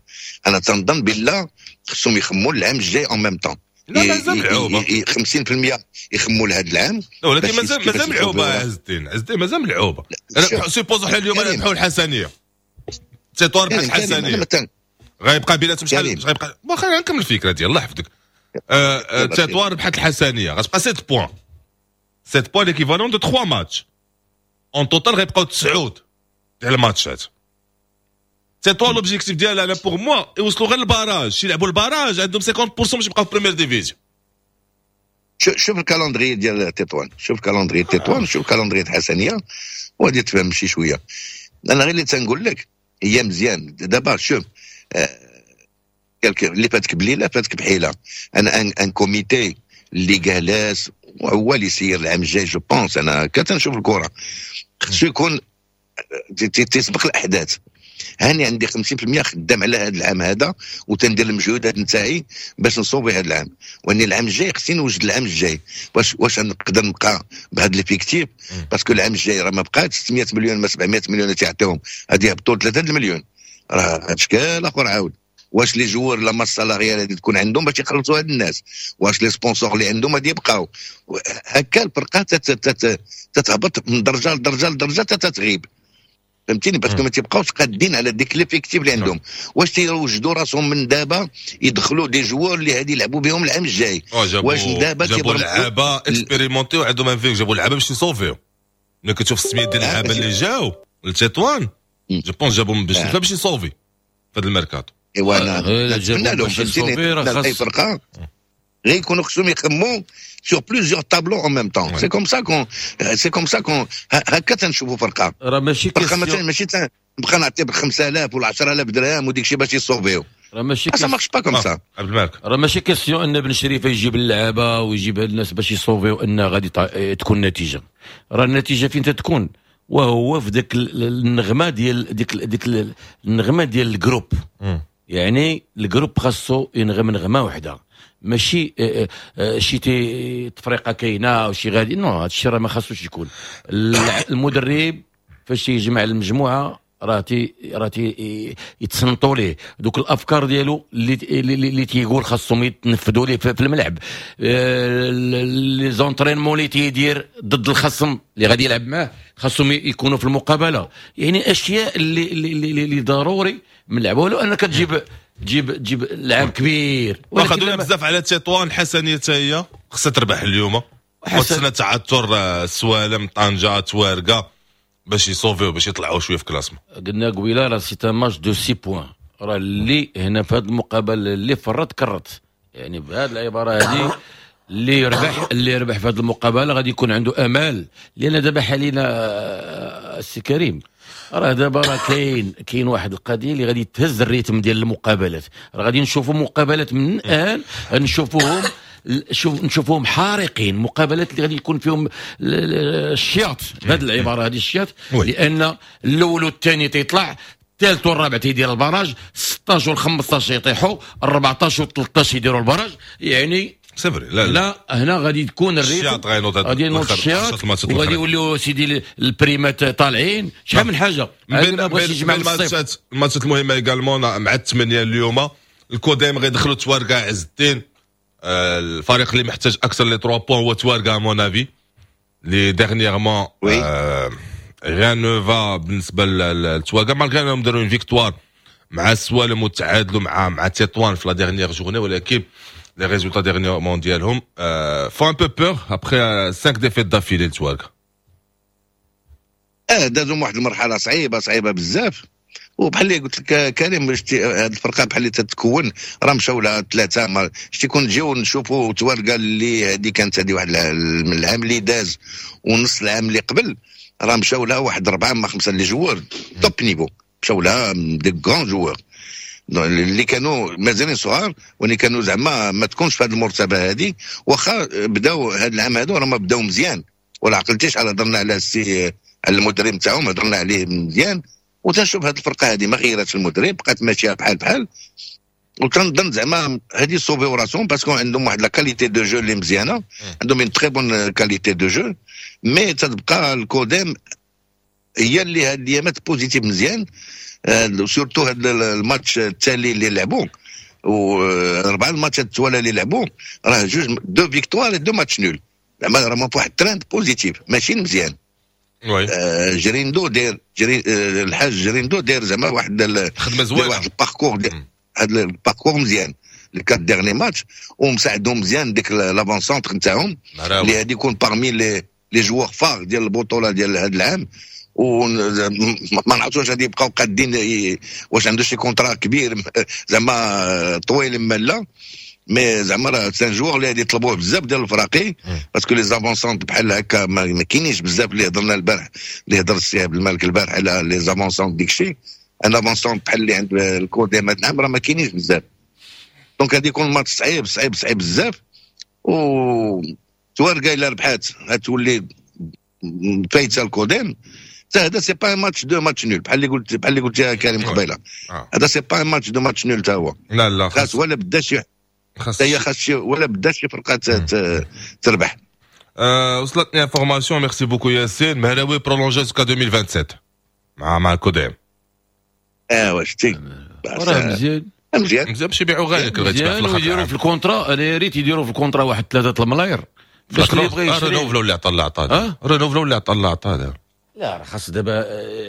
انا تنظن بالله خصهم يخموا العام الجاي en même temps. لا، مازال ملعوبه. 50% يخموا لهذا العام. لا، ولكن مازال ملعوبه. عز الدين، عز الدين، مازال ملعوبه. supposons حنا اليوم نربحوا الحسنيه، تطوان ربحت الحسنيه، غيبقى بيناتهم شحال غيبقى؟ واخا نكمل الفكرة ديال الله يحفظك. تطوان ربحت الحسنيه، غتبقى 7 points، 7 points l'équivalent de 3 matchs en total، غيبقاو 9 ديال الماتشات. تطوان l'objectif ديالها انا pour moi يوصلوا غير ال barrage، يلعبوا ال barrage، عندهم 50% باش يبقاو في première division. شوف ال calendrier ديال تطوان، شوف calendrier تطوان، شوف calendrier الحسنيه وغادي تفهم شي شويه. انا غير اللي تنقول لك هي مزيان. دابا شوف، اللي فاتك بليلة فاتك بحيله. انا un comité اللي جالس وهو اللي يسير العام الجاي، je pense، انا كتنشوف الكره خصو يكون تسبق الاحداث. هاني عندي 50% خدام على هذا العام هذا وتندير المجهودات نتاعي باش نصوبي هذا العام، واني العام الجاي خصني نوجد العام الجاي. واش نقدر نبقى بهذا l'effectif؟ parce que العام الجاي راه ما بقات 600 مليون ما 700 مليون اللي تعطيهم، غادي يهبطوا 3 المليون، راه هذا شكال اخر عاود. واش les joueurs، la masse salariale غادي تكون عندهم باش يخلصوا هاد الناس؟ واش les sponsors اللي عندهم غادي يبقاو هكا؟ الفرقة تتهبط من درجه لدرجة لدرجة تتغيب، فهمتيني؟ parce que ما تيبقاوش قادين على ديك l'effectif اللي عندهم. واش تيوجدوا راسهم من دابا يدخلوا des joueurs اللي غادي يلعبوا بهم العام الجاي؟ واش دابا جابوا لعابه expérimentés وعندهم un vécu، جابوا لعابه باش يصوفيو. ملي كتشوف السميات ديال اللعابه اللي جاو لتطوان، je pense جابوا باش يصوفي في هذا الميركاتو. ايوا انا نتمنى لهم، فهمتيني، اي فرقه غير يكونوا خصهم يخموا sur plusieurs tableaux en même temps. C'est comme ça qu'on هكا تنشوفوا فرقه. راه ماشي فرقه مثلا ماشي نبقى نعطي ب 5000 ولا 10000 درهم وديك الشيء باش يصوفيو. راه ماشي ça marche pas comme ça. عبد الملك. راه ماشي question ان بن شريفه يجيب اللعابه ويجيب الناس باش يصوفيو ان غادي تكون نتيجه. راه النتيجة فين تتكون؟ وهو في ذاك النغمة ديال ديك النغمة ديال ال groupe. يعني ال groupe خاصو ينغم نغمة واحده، ماشي شي تفرقه كاينه وشي غادي. non، هذا الشيء راه ما خاصوش يكون. المدرب فاش يجمع المجموعة راه تي يتصنتوا ليه دوك الافكار ديالو اللي تيقول خاصهم يتنفذوا ليه في الملعب، les entraînements اللي تيدير ضد الخصم اللي غادي يلعب معاه خاصهم يكونوا في المقابله. يعني اشياء اللي ضروري من اللعب، ولو انك تجيب لاعب كبير. واخا بزاف على تطوان، الحسنيه حتى هي خصها تربح اليوم وتسنى تعثر السوالم، طنجه، توارقه باش يصوفيو، باش يطلعوا شوية في classement. قلنا قبيلة راه c'est un match de 6 points. راه اللي هنا في هذه المقابلة اللي فرط كرت، يعني بهذه العبارة هذه، اللي يربح في هذه المقابلة غادي يكون عنده امال، لان دابا حاليا السي كريم راه دابا راه كاين واحد القضية اللي غادي تهز ال rythme ديال المقابلات. راه غادي نشوفوا مقابلات من الان نشوفوهم. شوف نشوفوهم حارقين، مقابلات اللي غادي يكون فيهم الشياط، بهذه العبارة هذه الشياط، لان الاول والثاني تيطلع، الثالث والرابع تيدير ال barrage، 16 وال 15 يطيحوا، 14 وال 13 يديروا ال barrage، يعني c'est vrai، لا. لا، هنا غادي تكون ال rythme، غادي ينوض الشياط وغادي يوليو سيدي البريمات طالعين، شحال من حاجه. بين الماتشات الماتشات المهمة également مع الثمانية اليوم، الكوديم غيدخلوا تواركا عز الدين. الفريق اللي محتاج اكثر les 3 points هو تواركا، à mon avis اللي dernièrement rien ne va بالنسبة للتواركا، malgré انهم داروا une victoire مع السوالم وتعادلوا مع تطوان في la dernière journée، ولكن les résultats dernièrement ديالهم font un peu peur après 5 défaites d'affilée التواركا. دازوا واحد المرحلة صعيبه، صعيبة بزاف، وبحال اللي قلت لك كريم، هذه الفرقة بحال اللي تتكون، راه مشاو لها ثلاثه. ما شتي كون نجيو نشوفوا تواركا اللي هذه كانت هذه واحد من العام اللي داز ونص العام اللي قبل، راه مشاو لها واحد اربعة ما خمسة les joueurs top niveau، مشاو لها des grands joueurs اللي كانوا مازالين صغار واللي كانوا زعما ما تكونش في هذه المرتبة هذه. واخا بداو هذا العام هذا، راه ما بداو مزيان، ولا عقلتيش على هضرنا على السي على المدرب تاعهم، هضرنا عليه مزيان. وتنشوف هذه الفرقة هذه ما غيرتش المدرب، بقات ماشية بحال بحال، وتنظن زعما هذه صوفيو راسهم parce que عندهم واحد la qualité de jeu اللي مزيانه، عندهم une très bonne qualité de jeu، mais تتبقى الكوديم هي اللي هاد الايامات positive مزيان، surtout هاد الماتش التالي اللي لعبوا واربعة الماتشات التوالى اللي لعبوا، راه جوج deux victoires، deux matchs nuls، زعما راه في واحد trend positif ماشي مزيان. جريندو داير جري الحاج جريندو داير زعما واحد خدمة زوينه. واحد ال parcours، هذا ال parcours مزيان les quatre derniers matchs، ومساعدهم مزيان ديك l'avant-centre نتاعهم اللي غادي يكون parmi les joueurs phares ديال البطولة ديال هذا العام، وما نعرفوش واش غادي يبقاو قادين، واش عنده شي contrat كبير زعما طويل ما لا، mais زعما راه c'est un joueur اللي غادي يطلبوه بزاف ديال الفراقي، parce que les avant-centres بحال هكا ما كاينينش بزاف. اللي هضرنا البارح، اللي هضر السي عبد الملك البارح على les avant-centres، ديك الشيء un avant-centre بحال اللي عند الكوديم هاد العام راه ما كاينينش بزاف، donc غادي يكون ماتش صعيب صعيب صعيب بزاف. و تواركا الا ربحات غتولي فايته الكوديم. هذا c'est pas match de match nul، بحال اللي قلت يا كريم قبيله. هذا c'est pas match de match nul تا هو. لا لا. خاص ولا بدا شي هي خاص ولا بدا شي فرقه تربح. وصلتني information، merci beaucoup ياسين، مهراوي prolongé jusqu'à 2027 مع الكوديم. اه شتي. راه مزيان. مزيان. مزيان باش يبيعوا غالي. مزيان، ويديروا في ال contrat، انا يا ريت يديروا في ال contrat واحد 3 الملاير باش اللي يبغي يشري. renouvelé اللي عطى اللي عطى، renouvelé اللي عطى اللي عطى. لا، راه خاص دابا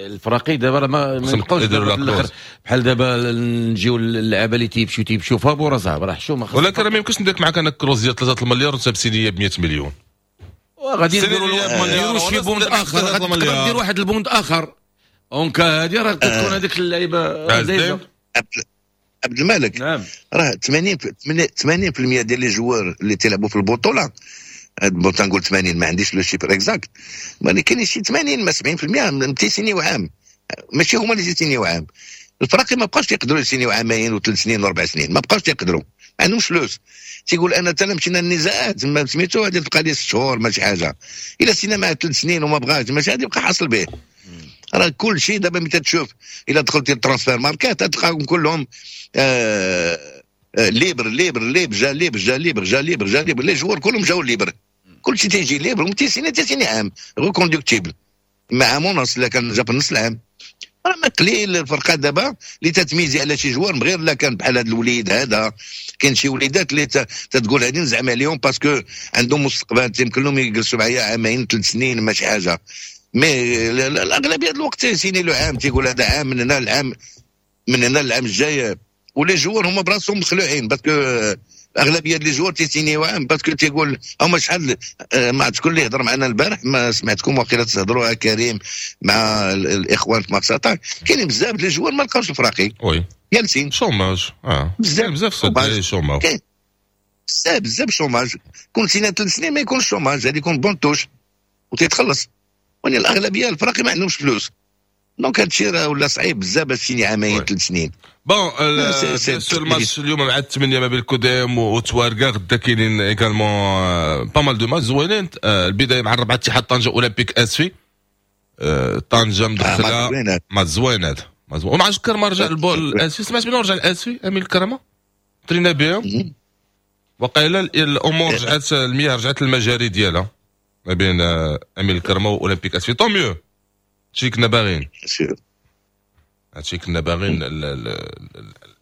الفراقي دابا راه ما يبقاوش دابا بحال دابا نجيو اللعابه اللي تيمشيو فابور صاحبي، راه حشومه. ولكن راه ما يمكنش ندير معاك انا clause ديال 3 المليار وانت بسينيه ب 100 مليون. غادي نديروا شي بوند اخر، غادي ندير واحد البوند اخر en cas هادي راه تكون هذيك اللعيبة. عبد الملك. نعم. راه 80 80% ديال les joueurs اللي تيلعبوا في البطوله، تنقول 80، ما عنديش le chiffre exact، ولكن شي 80 ما 70% تيسينيو عام، ماشي هما اللي تيسينيو عام. الفراقي ما بقاوش يقدروا يسينيو عامين وثلاث سنين واربع سنين، ما بقاوش يقدروا، ما عندهمش فلوس. تيقول انا تا مشينا النزاعات ما سميتو غادي تبقى لي 6 شهور ماشي حاجه، الا سينا معاه 3 سنين وما بغاش ماشي غادي يبقى حاصل به. راه كل شيء دابا ملي تشوف، الا دخلتي ال Transfermarkt تلقاهم كلهم libre libre libre، جا libre، جا libre، جا libre، جا libre، les joueurs كلهم جاو libres، كل شيء تيجي libre، وتيسيني تيسيني عام reconductible مع عام ونص الا كان جا في نص العام. راه ما قليل الفرقة دابا اللي تتميزي على شي joueur، غير لا كان بحال هذا الوليد هذا. كاين شي وليدات اللي تتقول هادي نزعم عليهم parce que عندهم مستقبل، يمكن لهم يجلسوا معايا عامين 3 سنين ماشي حاجه، mais الاغلبية الوقت تيسيني له عام، تيقول هذا عام من هنا العام من هنا العام الجاي. و les joueurs هما براسهم مخلوعين parce que اغلبية les joueurs تيسينيو عام، parce que تيقول هما شحال ما عرفت شكون اللي هضر معنا البارح، ما سمعتكم واقيلا تهضروا كريم مع الاخوان في مارس اتاك، كاينين بزاف les joueurs ما لقاوش الفراقي جالسين. chômage بزاف. بزاف chômage. بزاف بزاف chômage. كون سينا 3 سنين ما يكونش chômage، هذه يكون banc de touche وتيتخلص، ولكن الاغلبية الفراقي ما عندهمش فلوس. donc هادشي راه ولا صعيب بزاف باش تسيني عامين 3 سنين. bon، bien sûr الماتش اليوم مع 8 ما بين الكوديم وتوارقه. غدا كاينين également pas mal de matchs زوينين. البداية مع الربعه، اتحاد طنجه اولمبيك اسفي. طنجه مدخله. ماتش زوين هذا، ومع كرما رجع الاسفي، سمعت بانه رجع الاسفي امين الكرمه، ترينا بهم وقيلا. الامور رجعت، المياه رجعت للمجاري ديالها ما بين امين الكرمة واولمبيك اسفي. tant mieux، هادشي كنا باغيين، هادشي كنا باغيين،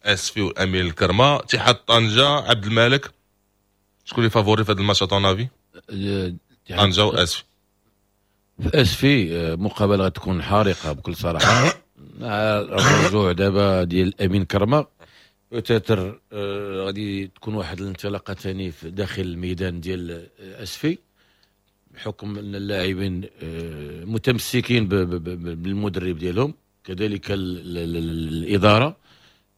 الاسفي والامين الكرمه. اتحاد طنجه، عبد المالك، شكون اللي favori في هذا الماتش à ton avis؟ طنجه واسفي. في اسفي مقابله غتكون حارقه بكل صراحه. مع الرجوع دابا ديال امين كرمه peut-être غادي تكون واحد الانطلاقة ثاني في داخل الميدان ديال اسفي، بحكم ان اللاعبين متمسكين بالمدرب ديالهم، كذلك الاداره.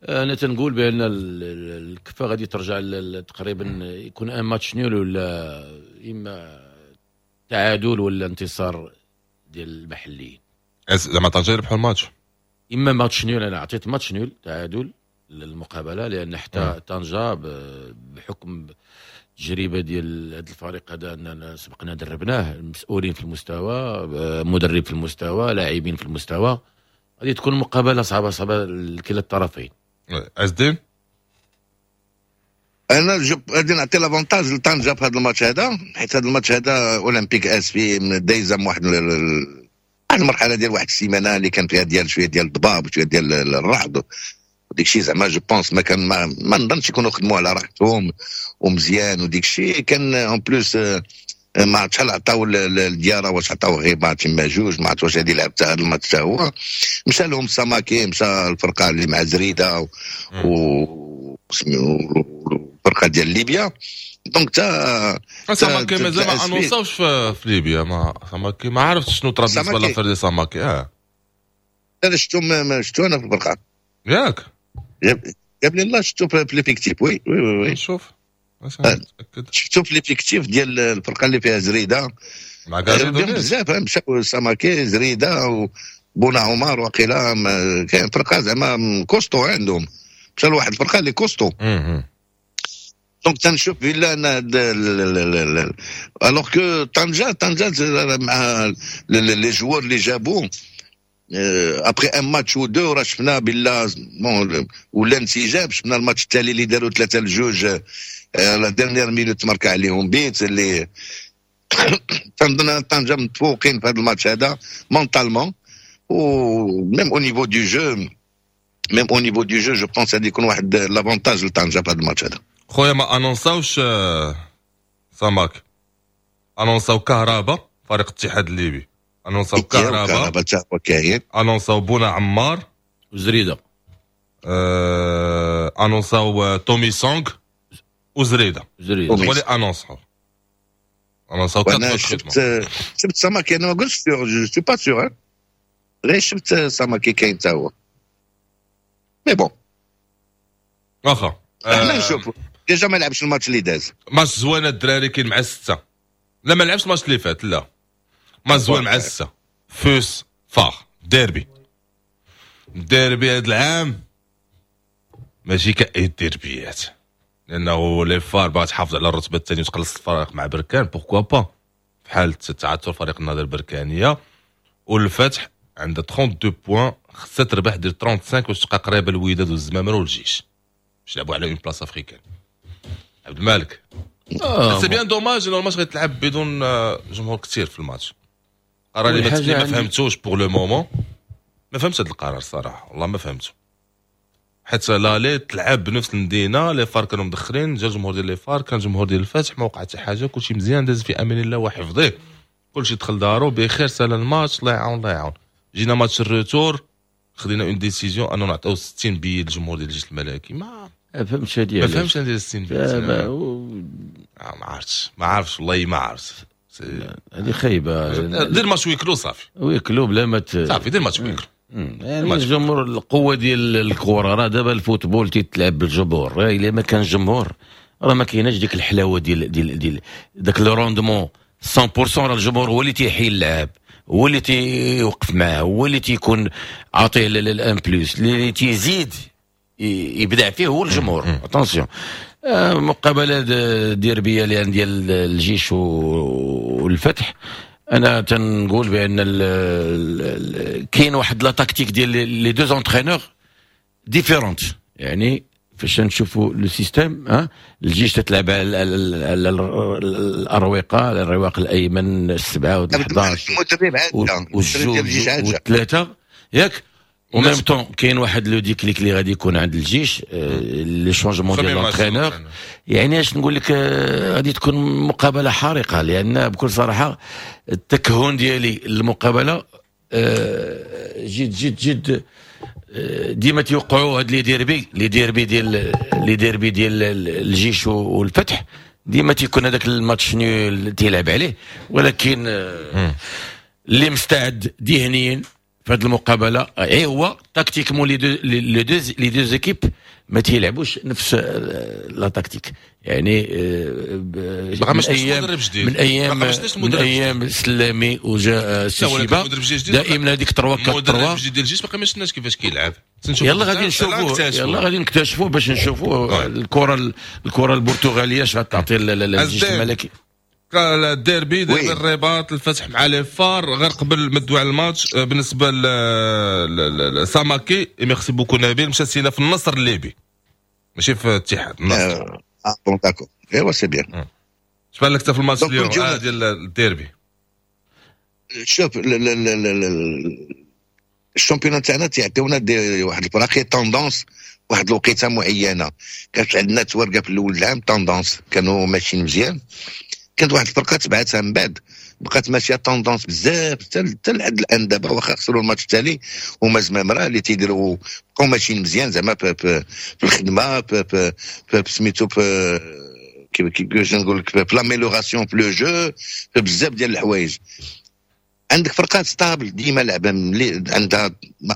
انا تنقول بان الكفة غادي ترجع تقريبا، يكون un match nul ولا اما تعادل ولا انتصار ديال المحليين. زعما طنجه يربحوا الماتش؟ اما match nul، انا عطيت match nul، تعادل للمقابله، لان حتى طنجه بحكم التجربة ديال هذا الفريق هذا، اننا سبقنا دربناه، المسؤولين في المستوى، مدرب في المستوى، لاعبين في المستوى، غادي تكون مقابله صعبة صعبة لكلا الطرفين. عز الدين؟ انا غادي نعطي l'avantage لطنجه في هذا الماتش هذا، حيت هذا الماتش هذا اولمبيك اسفي دايزه واحد المرحلة ديال واحد السيمانة اللي كان فيها ديال شوية ديال الضباب وشوية ديال الرعد وديك الشيء. زعما je pense ما كان ما نظنش يكونوا خدموا على راحتهم ومزيان وديك الشيء. كان en plus ما عرفت شحال عطاو الدياره، واش عطاو غير ماتش ما جوج، ما عرفت واش هذه لعب هذا الماتش هو مشى لهم ساماكي، مشى الفرقة اللي مع زريده و الفرقة ديال ليبيا، donc تا ساماكي مازال ما annonçاوش في ليبيا. ما ساماكي ما عرفتش شنو طرا بالنسبة l'affaire ديال ساماكي. انا شفتو، شفتو انا في الفرقه. ياك؟ جاب لي الله شفتو في l'effectif، oui. شوف. شفتو في l'effectif ديال الفرقة اللي فيها زريده. مع كاريدو. بزاف مشاو، ساماكي، زريده وبونا عمر وقيلا. كاين فرقه زعما costaud عندهم، مشى لواحد الفرقة اللي costaud. donc تنشوف بلا انا alors que طنجه، طنجه مع les joueurs اللي جابو après un match ou deux راه شفنا بلا bon ولا انسجام. شفنا الماتش التالي اللي داروا 3-2، la dernière minute ماركا عليهم بيت. اللي تنظن طنجه متفوقين في هذا الماتش هذا mentalement و même au niveau du jeu، même au niveau du jeu je pense غادي يكون واحد l'avantage لطنجه في هذا الماتش هذا. خويا ما annonçاوش ساماك، annonçاو كهربا، فريق الاتحاد الليبي annonçاو كهربا. كهربا كاين. annonçاو بونا عمار. وزريده. Annonçاو تومي سونغ وزريده. زريده. هو اللي annonçاو. انا شفت ساماكي، انا ما قلتش sûr، je suis pas sûr، غير شفت ساماكي كاين تا هو، mais bon. واخا. احنا نشوفوا، déjà ما لعبش الماتش اللي داز. ماتش زوين الدراري كاين مع 6. لا، ما لعبش الماتش اللي فات. لا، ماتش زوين مع 6، FUS FAR، derby. derby هذا العام ماشي كأي الديربيات، لانه les FAR باغا تحافظ على الرتبة الثانية وتقلص الفرق مع بركان، pourquoi pas في حاله تعثر فريق النهضة البركانيه. والفتح عندها 32 points، خصها تربح دير 35 باش تبقى قريبه الوداد والزمامره والجيش باش يلعبوا على une place africaine. عبد المالك، c'est bien dommage انه الماتش غيتلعب بدون جمهور كثير في الماتش. قرار اللي ما فهمتوش pour le moment، ما فهمتش هذا القرار الصراحه، والله ما فهمته، حيت l'aller تلعب بنفس المدينه، les FAR كانوا مدخلين، جا الجمهور ديال les FAR، كان الجمهور ديال الفتح، ما وقع حتى حاجه، كلشي مزيان، داز في امان الله وحفظه، كلشي دخل دارو بخير، سال الماتش، الله يعاون الله يعاون. جينا match ال retour خدينا une décision انه نعطيو 60 billets للجمهور ديال الجيش الملكي. ما فهمتش هادي. ما فهمتش هادي 60 billets. ما عرفتش، ما عرفتش، والله ما عرفت. هذه خايبه. دير match huis clos صافي. huis clos بلا ما صافي، دير match huis clos. يعني الجمهور، القوة ديال الكره، راه دابا ال football تيتلعب بالجمهور. الا ما كان جمهور راه ما كايناش ديك الحلاوة ديال داك le rendement 100%. راه الجمهور هو اللي تيحيي اللعاب، هو اللي تيوقف معاه، هو اللي تيكون عاطيه ال un plus اللي تيزيد يبدع فيه هو الجمهور. attention، مقابله ديربيه لان ديال الجيش والفتح، انا تنقول بان كاين واحد la tactique ديال les deux entraîneurs différente. يعني فاش نشوفوا le système، ها الجيش تتلعب على الاروقه، على الرواق الايمن، السبعة وال11 والجوج والثلاثه، ياك؟ و même temps كاين واحد le déclic اللي غادي يكون عند الجيش، les changements ديال l'entraîneur. يعني اش نقول لك، غادي تكون مقابله حارقه، لان بكل صراحة التكهن ديالي المقابلة جد جد جد ديما تيوقعوا هاد les derbys ديال الجيش والفتح، ديما تيكون هذاك ال match nul تيلعب عليه. ولكن اللي مستعد ذهنيا في هذه المقابلة اي هو tactiquement les deux équipes ما تيلعبوش نفس la tactique. يعني من ايام سلامي وجاء سيشيبا، دائما هذيك 3 4 3. المدرب الجديد ديال الجيش باقي ما شفناش كيفاش كيلعب. يلا غادي نشوفوه، يلا غادي نكتشفوه باش نشوفوا الكره البرتغالية اش غتعطي للجيش الملكي. الديربي ديال الرباط، الفتح مع les FAR. غير قبل ما ندوي على الماتش، بالنسبة لساماكي، merci beaucoup نبيل، مشى سينا في النصر الليبي ماشي في الاتحاد، النصر. اه bon، d'accord، ايوا c'est bien. اش بان لك في الماتش اليوم ديال الديربي؟ شوف، ال championnat تاعنا تيعطيونا واحد الفراقي tendance واحد الوقيته معينه. كانت عندنا تورقه في الاول العام tendance، كانوا ماشيين مزيان. كانت واحد الفرقة تبعتها من بعد، بقات ماشية tendance بزاف حتى لحد الان. دابا واخا خسروا الماتش التالي، هما زمامرة اللي تيديروا بقاو ماشيين مزيان زعما في الخدمه، في سميتو، في كيفاش نقول لك، في l'amélioration، في le jeu، في بزاف ديال الحوايج. عندك فرقات stable ديما لعبه عندها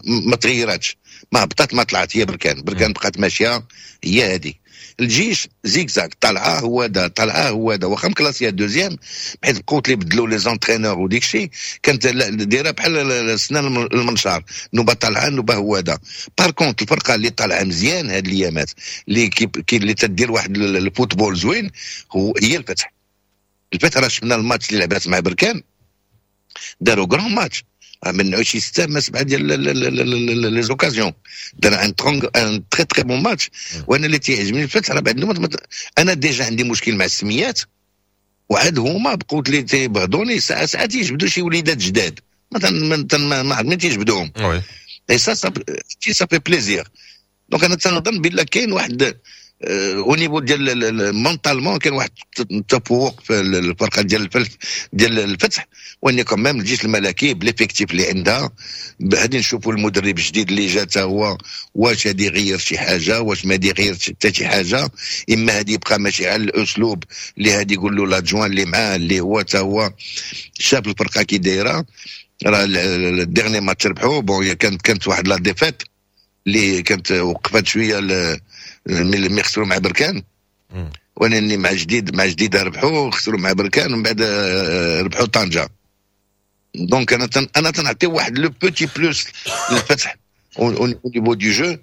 ما تغيراتش، ما هبطت ما طلعت، هي بركان. بركان بقات ماشية هي هذه. الجيش زيكزاك، طالعه هو دا، طالعه هو دا، واخا مكلاسيه deuxième، بحيث بقوت لي بدلوا les entraîneurs وديك الشيء، كانت دايرة بحال السنان المنشار، نوبه طالعه نوبه هو دا. par contre الفرقة اللي طالعه مزيان هاد الايامات، اللي كي اللي تدير واحد ال football زوين، هو هي الفتح. الفتح راه شفنا الماتش اللي لعبات مع بركان، داروا grand match، منعوا شي ستة ما سبعة ديال les occasions، دار un très très bon match. وانا اللي تيعجبني الفتح راه بعد انا déjà عندي مشكل مع السميات، وعاد هما بقوت لي تيبغضوني، ساعة ساعة تيجبدوا شي وليدات جداد مثلا ما ما تيجبدوهم، et ça ça fait plaisir. donc انا تنظن بلا كاين واحد au niveau ديال mentalement كاين واحد التفوق في الفرقة ديال الفتح. وان quand même الجيش الملكي ب l'effectif اللي عندها، غادي نشوفوا المدرب الجديد اللي جا تا هو، واش غادي يغير شي حاجه، واش ما يغير حتى شي حاجه، اما غادي يبقى ماشي على الاسلوب اللي غادي يقول له l'adjoint اللي معاه، اللي هو تا هو شاف الفرقة كي دايره. راه ال dernier match ربحوا، bon كانت واحد la défaite اللي كانت وقفت شوية ملي خسروا مع بركان، ولكن مع جديد ربحوا، خسروا مع بركان ومن بعد ربحوا طنجه. donc انا تنعطي واحد le petit plus للفتح au niveau du jeu.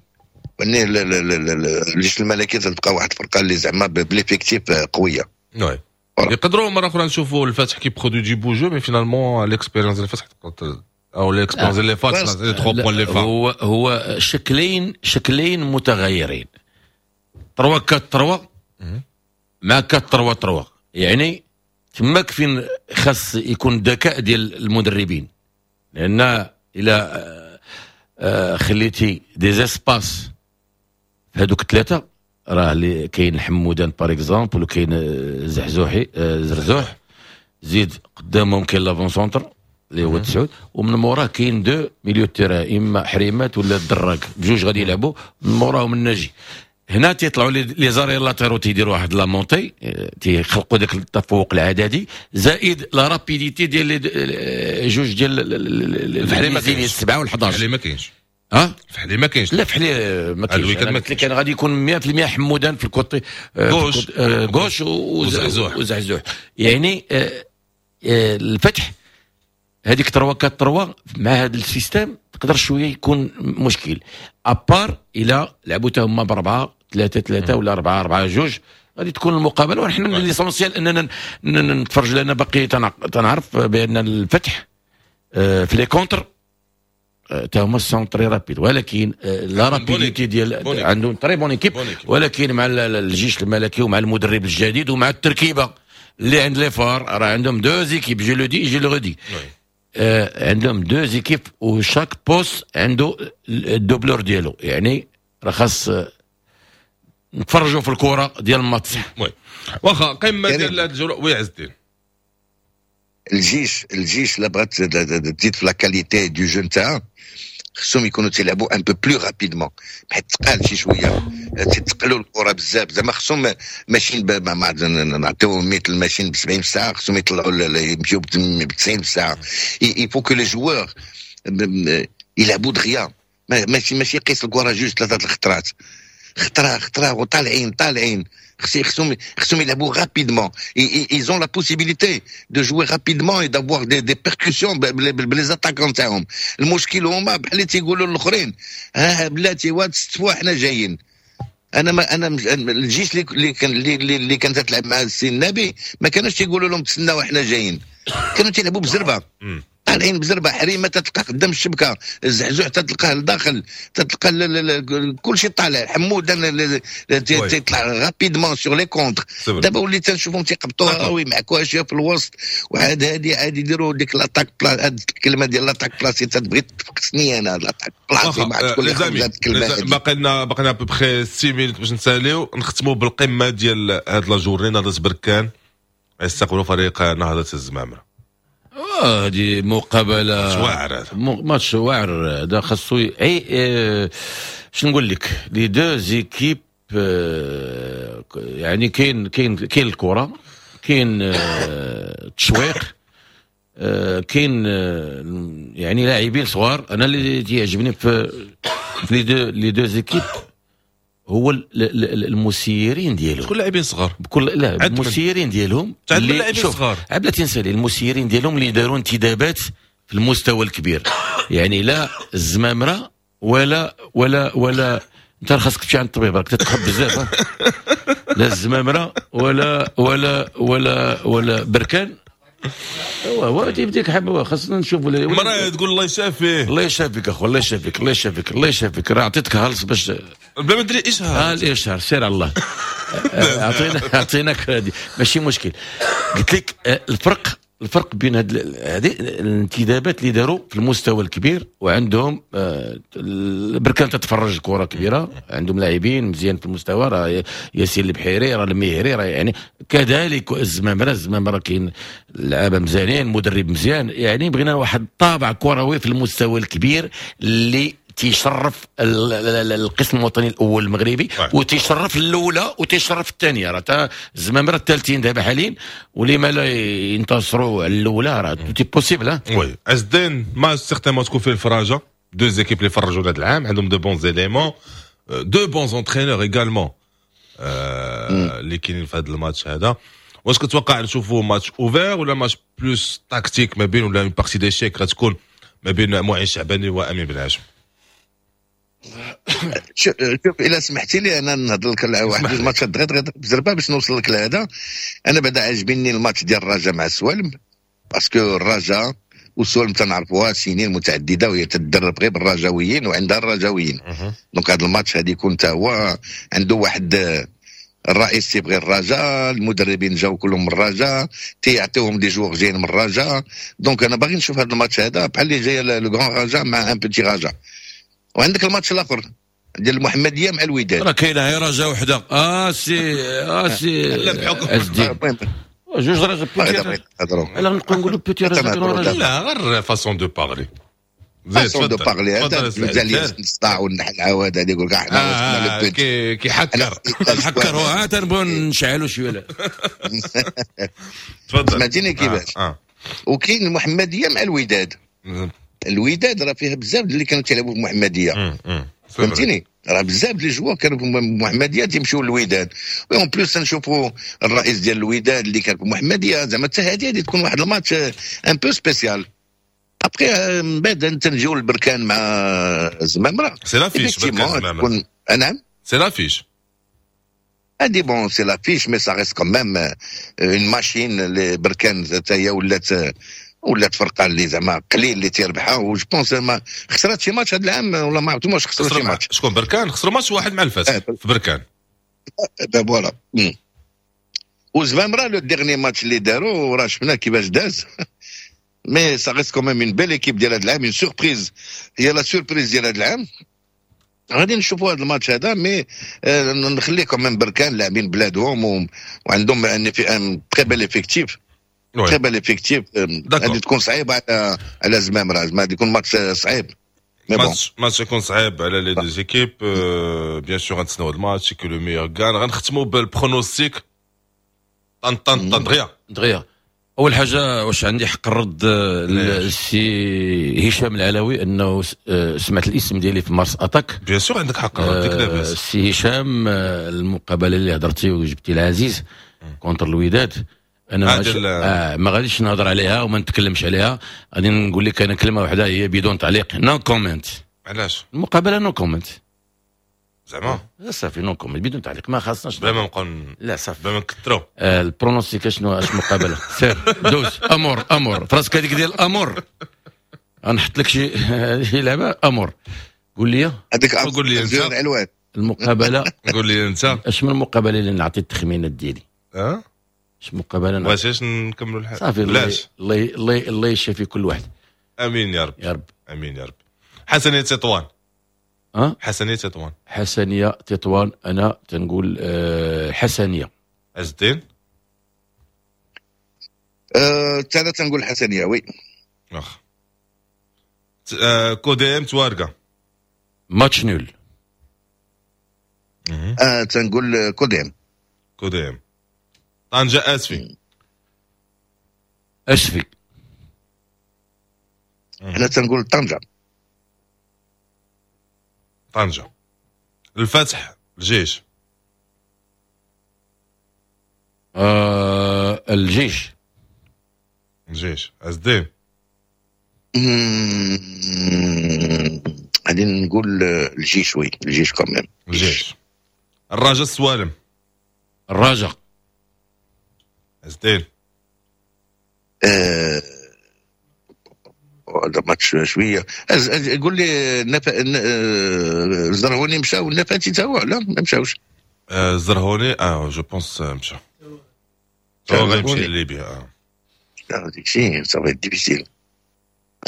الجيش الملكي تبقى واحد الفرقة اللي زعما ب l'effectif قويه. oui، يقدروا مرة اخرى نشوفوا الفتح qui produit du beau jeu، mais finalement l'expérience ديال الفتح او l'expérience اللي فات، les 3 points اللي فات. هو شكلين متغيرين، 3 4 3 مع 4 3 3. يعني تماك فين خاص يكون الذكاء ديال المدربين، لان الى خليتي des espaces في هذوك الثلاثه، راه اللي كاين حمودان par exemple وكاين زحزوحي زرزوح، زيد قدامهم كاين l'avant-centre اللي هو تسعود، ومن موراه كاين deux milieux terrain، اما حريمات ولا الدراك، بجوج غادي يلعبوا. من موراهم الناجي. هنا تيطلعوا les arrières latéraux، تيديروا واحد la montée، تيخلقوا داك التفوق العددي زائد la rapidité ديال جوج ديال الفحلي ما كاينش. السبعة وال11. الفحلي ما كاينش. ها الفحلي ما كاينش. لا، فحلي ما كاينش. انا قلت لك كان غادي يكون 100% حمودان في ال côté gauche. gauche وزحزوح. يعني الفتح هذيك 3 4 3 مع هذا ال système تقدر شوية يكون مشكل، à part الى لعبوا تا هما ب4-3-3 ولا 4-4-2 غادي تكون المقابله. ونحن l'essentiel اننا نتفرج، لان باقي تنعرف بان الفتح في les contres تا هما sont très rapides، ولكن la rapidité ديال عندهم très bonne équipe، ولكن مع الجيش الملكي ومع المدرب الجديد ومع التركيبة اللي عند les FAR، راه عندهم deux équipes، je le dis، je le redis، عندهم deux équipes و chaque poste عنده ال doublure ديالو، يعني راه خاص نتفرجوا في الكره ديال الماتش. oui، واخا، قمة ديال هذه الجوله. oui عز الدين. الجيش لا بغات تزيد في la qualité du jeu نتاعها، خصهم يكونوا تيلعبوا un peu plus rapidement، حيت تقال شي شويه، تتقلوا الكره بزاف. زعما خصهم ماشيين، نعطيوهم مثل ماشيين ب 70 في الساعه، خصهم يطلعوا يمشيو ب 90 في الساعه. il faut que les joueurs يلعبوا دغيا، ماشي يقيس الكره جوج ثلاثة الخطرات، خطره خطره وطالعين طالعين. خصهم يلعبوا rapidement، ils ont la possibilité de jouer rapidement et d'avoir des percussions ب les attaquants تاعهم. المشكل هما بحال اللي تيقولوا الاخرين: ها بلاتي واد ستفوا حنا جايين. انا ما انا الجيش اللي كانت تلعب مع السي النبي ما كانوش تيقولوا لهم تسناو احنا جايين، كانوا تيلعبوا بزربه، طالعين بزربه. حريمه تتلقى قدام الشبكه، الزحزوح تتلقاه لداخل، تتلقى كل شيء طالع، حمود تيطلع rapidement sur les contres. دابا وليت تنشوفهم تيقبطوها ويمعكوها شوية في الوسط، وعاد هادي عاد يديروا ديك l'attaque pla هاد الكلمة ديال l'attaque placée تتبغي تفقسني انا، l'attaque placée ما عرفت كل الكلمه. باقي لنا à peu près 6 minutes باش نساليو. نختموا بالقمه ديال هاد la journée، نهضة بركان يستقبلوا فريق نهضة الزمامره. هذه مقابله واعر. ماتش واعر هذا، خاصو اي شنو نقول لك، les deux équipes يعني كاين الكره، كاين التشويق، كاين يعني لاعبين صغار. انا اللي تيعجبني في les deux équipes هو المسيرين ديالهم. شكون لاعبين صغار؟ بكل لا، المسيرين ديالهم. اللي لاعبين صغار. بلاتي نسالي. المسيرين ديالهم اللي داروا انتدابات في المستوى الكبير، يعني لا الزمامره ولا انت خاصك تمشي عند الطبيب، راك تتخب بزاف. لا الزمامره ولا بركان، هو هو تيبديك حب، خاصنا نشوفوا. مرة تقول الله يشافيه. الله يشافيك اخو، الله يشافيك، الله يشافيك، الله يشافيك. راه عطيتك هالص باش بلا ما تدري اشهار. اه الاشهار، سير على الله. اعطيناك هذه ماشي مشكل. قلت لك الفرق بين هذه الانتدابات اللي داروا في المستوى الكبير، وعندهم بركان تتفرج كره كبيره، عندهم لاعبين مزيان في المستوى، راه ياسين البحيري، راه المهري، راه يعني كذلك الزمامره. الزمامره كاين لعابه مزيانين، مدرب مزيان، يعني بغينا واحد الطابع كروي في المستوى الكبير اللي تيشرف القسم الوطني الاول المغربي وتيشرف الاولى وتيشرف الثانيه. راه الزمامره الثالثين دابا حاليا، ولما لا ينتصروا على الاولى؟ راه tout est possible. oui عز الدين، match certainement تكون فيه الفراجه، deux équipes اللي فرجوا هذا العام، عندهم de bons éléments، deux bons entraîneurs également اللي كاينين في هذا الماتش هذا. واش كتوقع نشوفوا match ouvert ولا match plus tactique ما بين ولا une partie d'échecs غتكون ما بين معين شعباني وامين بن هاشم؟ شوف، الا سمحتي لي انا نهضر لك على واحد جوج ماتشات دغيا دغيا بزربه باش نوصل لك لهذا. انا بعدا عجبني الماتش ديال الرجاء مع السوالم، parce que الرجاء والسوالم تنعرفوها سنين متعددة وهي تدرب غير بالرجاويين وعندها الرجاويين، donc هذا الماتش هذا يكون تا هو عنده واحد الرئيس تيبغي الرجاء، المدربين جاو كلهم من الرجاء، تيعطيوهم des joueurs جايين من الرجاء. donc انا باغي نشوف هذا الماتش هذا بحال اللي جاي le grand رجاء مع un petit رجاء. وعندك الماتش الاخر ديال المحمدية مع الوداد. راه كاينه غير رجاء وحده سي عز الدين، جوج رجاء petit، لا نبقى نقولوا petit رجاء. لا، غير façon de parler. façon de parler، هذا مزال الصداع والنحل هذا يقول لك احنا كيحكر. نحكروا، ها تنبغيو نشعلوا شويه. تفضل. سمعتيني كيفاش؟ وكاين المحمدية مع الوداد. الوداد راه فيها بزاف اللي كانوا تيلعبوا في المحمديه، فهمتيني؟ راه بزاف les joueurs كانوا في المحمدية تيمشيو للوداد، و en plus نشوفوا الرئيس ديال الوداد اللي كان في المحمديه. زعما حتى هذه تكون واحد الماتش un peu spécial. après من بعد تنجيو للبركان مع الزمامره. c'est l'affiche بركان الزمامره. نعم c'est l'affiche. هادي bon c'est l'affiche mais ça reste quand même une machine. اللي بركان حتى هي ولات فرقه اللي زعما قليل اللي تيربحها، و je pense ما خسرات شي ماتش هذا العام ولا ما عرفتش واش خسروا شي ماتش. شكون بركان؟ خسروا ماتش واحد مع الفتح في بركان. voilà. وزمامره le dernier match اللي داروا راه شفنا كيفاش داز، mais ça reste quand même une belle équipe ديال هذا العام، une surprise، هي la surprise ديال هذا العام. غادي نشوفوا هذا الماتش هذا، mais نخليه quand même بركان لاعبين بلادهم وعندهم un très bel effectif، très bel effectif. غادي تكون صعيبة على زمامرة، غادي يكون ماتش صعيب. ماتش يكون صعيب على les deux équipes، bien sûr غنتسناو هذا الماتش، que le meilleur gagne. غنختموا بال pronostic طن طن طن دغيا دغيا. اول حاجة واش عندي حق الرد السي هشام العلوي انه سمعت الاسم ديالي في Mars Attack؟ bien sûr عندك حق الرد، ديك لاباس. السي هشام، المقابلة اللي هضرتي وجبتي العزيز contre الوداد، انا ما غاديش نهضر عليها وما نتكلمش عليها. غادي نقول لك انا كلمة واحدة هي بدون تعليق، no comment. علاش؟ المقابلة no comment. زعما صافي no comment، بدون تعليق، ما خاصناش بلا ما نبقاو، لا صافي بلا ما نكثروا. ال pronostic شنو؟ اش مقابله؟ سير دوز امور امور فراسك هذيك ديال امور، غنحط لك شي لعبه امور. قول لي هذيك، قول لي انت المقابلة. قول لي انت اش من المقابلة اللي نعطي التخمينات ديالي؟ اه اش مقابله؟ بغيتيش نكملوا الحال؟ صافي الله الله الله يشافي كل واحد. امين يا رب. يا رب امين يا رب. حسنيه تطوان. أه؟ حسنيه تطوان. حسنيه تطوان، انا تنقول حسنيه. عز الدين؟ انا تنقول حسنيه oui. واخا. كوديم توارقه. match nul. تنقول كوديم. كوديم. طنجة اسفي. اسفي. انا تنقول طنجة. طنجة. الفتح الجيش. الجيش. الجيش. عز الدين؟ غادي نقول الجيش، oui الجيش quand même. الجيش. الرجاء السوالم. الرجاء. عز الدين؟ هذا ماتش شوية. قول لي الزرهوني مشى والنفاتي تا هو؟ لا ما مشاوش. الزرهوني je pense مشى، هو غيمشي لليبيا. داك الشيء ça va être difficile،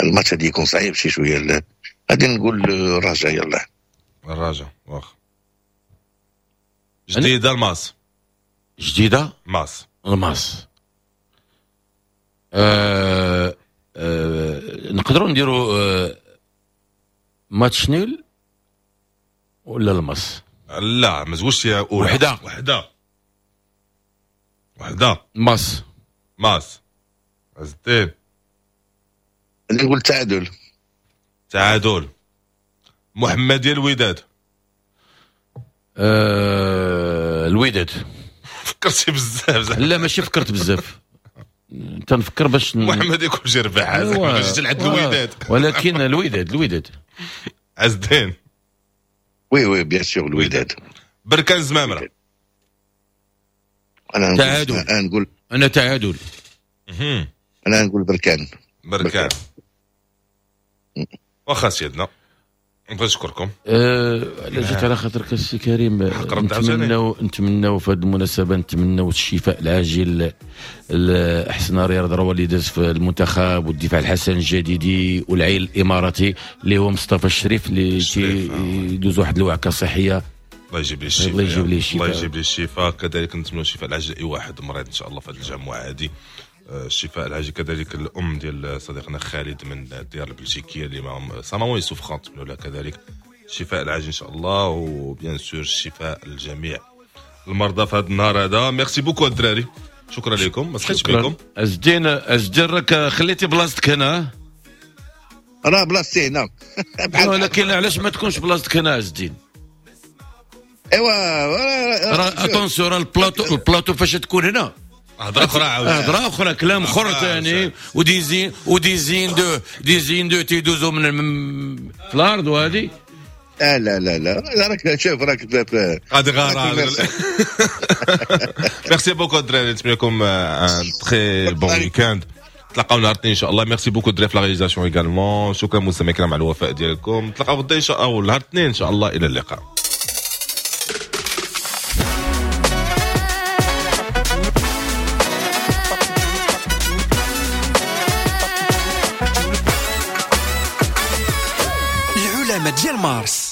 الماتش غادي يكون صعيب شي شوية. غادي نقول الرجاء، يلاه الرجاء. واخا. جديدة الماس. جديدة ماس. الماس. نقدروا نديروا match nul ولا الماس؟ لا ما تقولش يا وحده وحده وحده. ماس. ماس. عز الدين؟ نقول تعادل. تعادل. محمدية الوداد. الوداد. فكرتي بزاف. لا ماشي فكرت بزاف، تنفكر باش محمد يكون شي ربح باش تلعب الوداد، ولكن الوداد الوداد. عز الدين؟ oui oui bien sûr الوداد. بركان زمامرة. انا تعادل. انا نقول انا تعادل. انا نقول بركان. بركان. واخا سيدنا نبغي نشكركم. لا جيت على خاطرك السي كريم. نتمناو في هذه المناسبة نتمناو الشفاء العاجل لاحسن رياض روا اللي داز في المنتخب والدفاع الحسن الجديدي والعيل الاماراتي اللي هو مصطفى الشريف اللي يدوز واحد الوعكه صحية. الله يجيب لي الشفاء. الله يجيب لي الشفاء. الله يجيب لي الشفاء. كذلك نتمنوا الشفاء العاجل اي واحد مريض ان شاء الله في هذه الجمعة هذه. الشفاء العاجل كذلك الام ديال صديقنا خالد من الديار البلجيكيه اللي معهم sa maman souffrante، نتمنوا لها كذلك الشفاء العاجل ان شاء الله، و bien sûr الشفاء للجميع المرضى في هذا النهار هذا. merci beaucoup الدراري، شكرا لكم، ما سخيتش بكم. عز الدين راك خليتي بلاصتك هنا. راه بلاصتي هنا. ولكن علاش ما تكونش بلاصتك هنا عز الدين؟ ايوا راه attention، راه البلاطو فاش تكون هنا هضره اخرى عاود، هضره اخرى، كلام اخر ثاني، و des usines و des usines de des usines de تيدوزو من في الارض وهذه. لا لا لا لا، راك شوف راك غادي غارة. merci beaucoup الدراري، نتمنى لكم un très bon week-end. تلاقاو نهار الاثنين ان شاء الله. merci beaucoup الدراري في la réalisation également. شكرا مستمعينا الكرام على الوفاء ديالكم. تلاقاو غدا ان شاء الله، نهار الاثنين ان شاء الله. الى اللقاء. العلماء ديال مارس.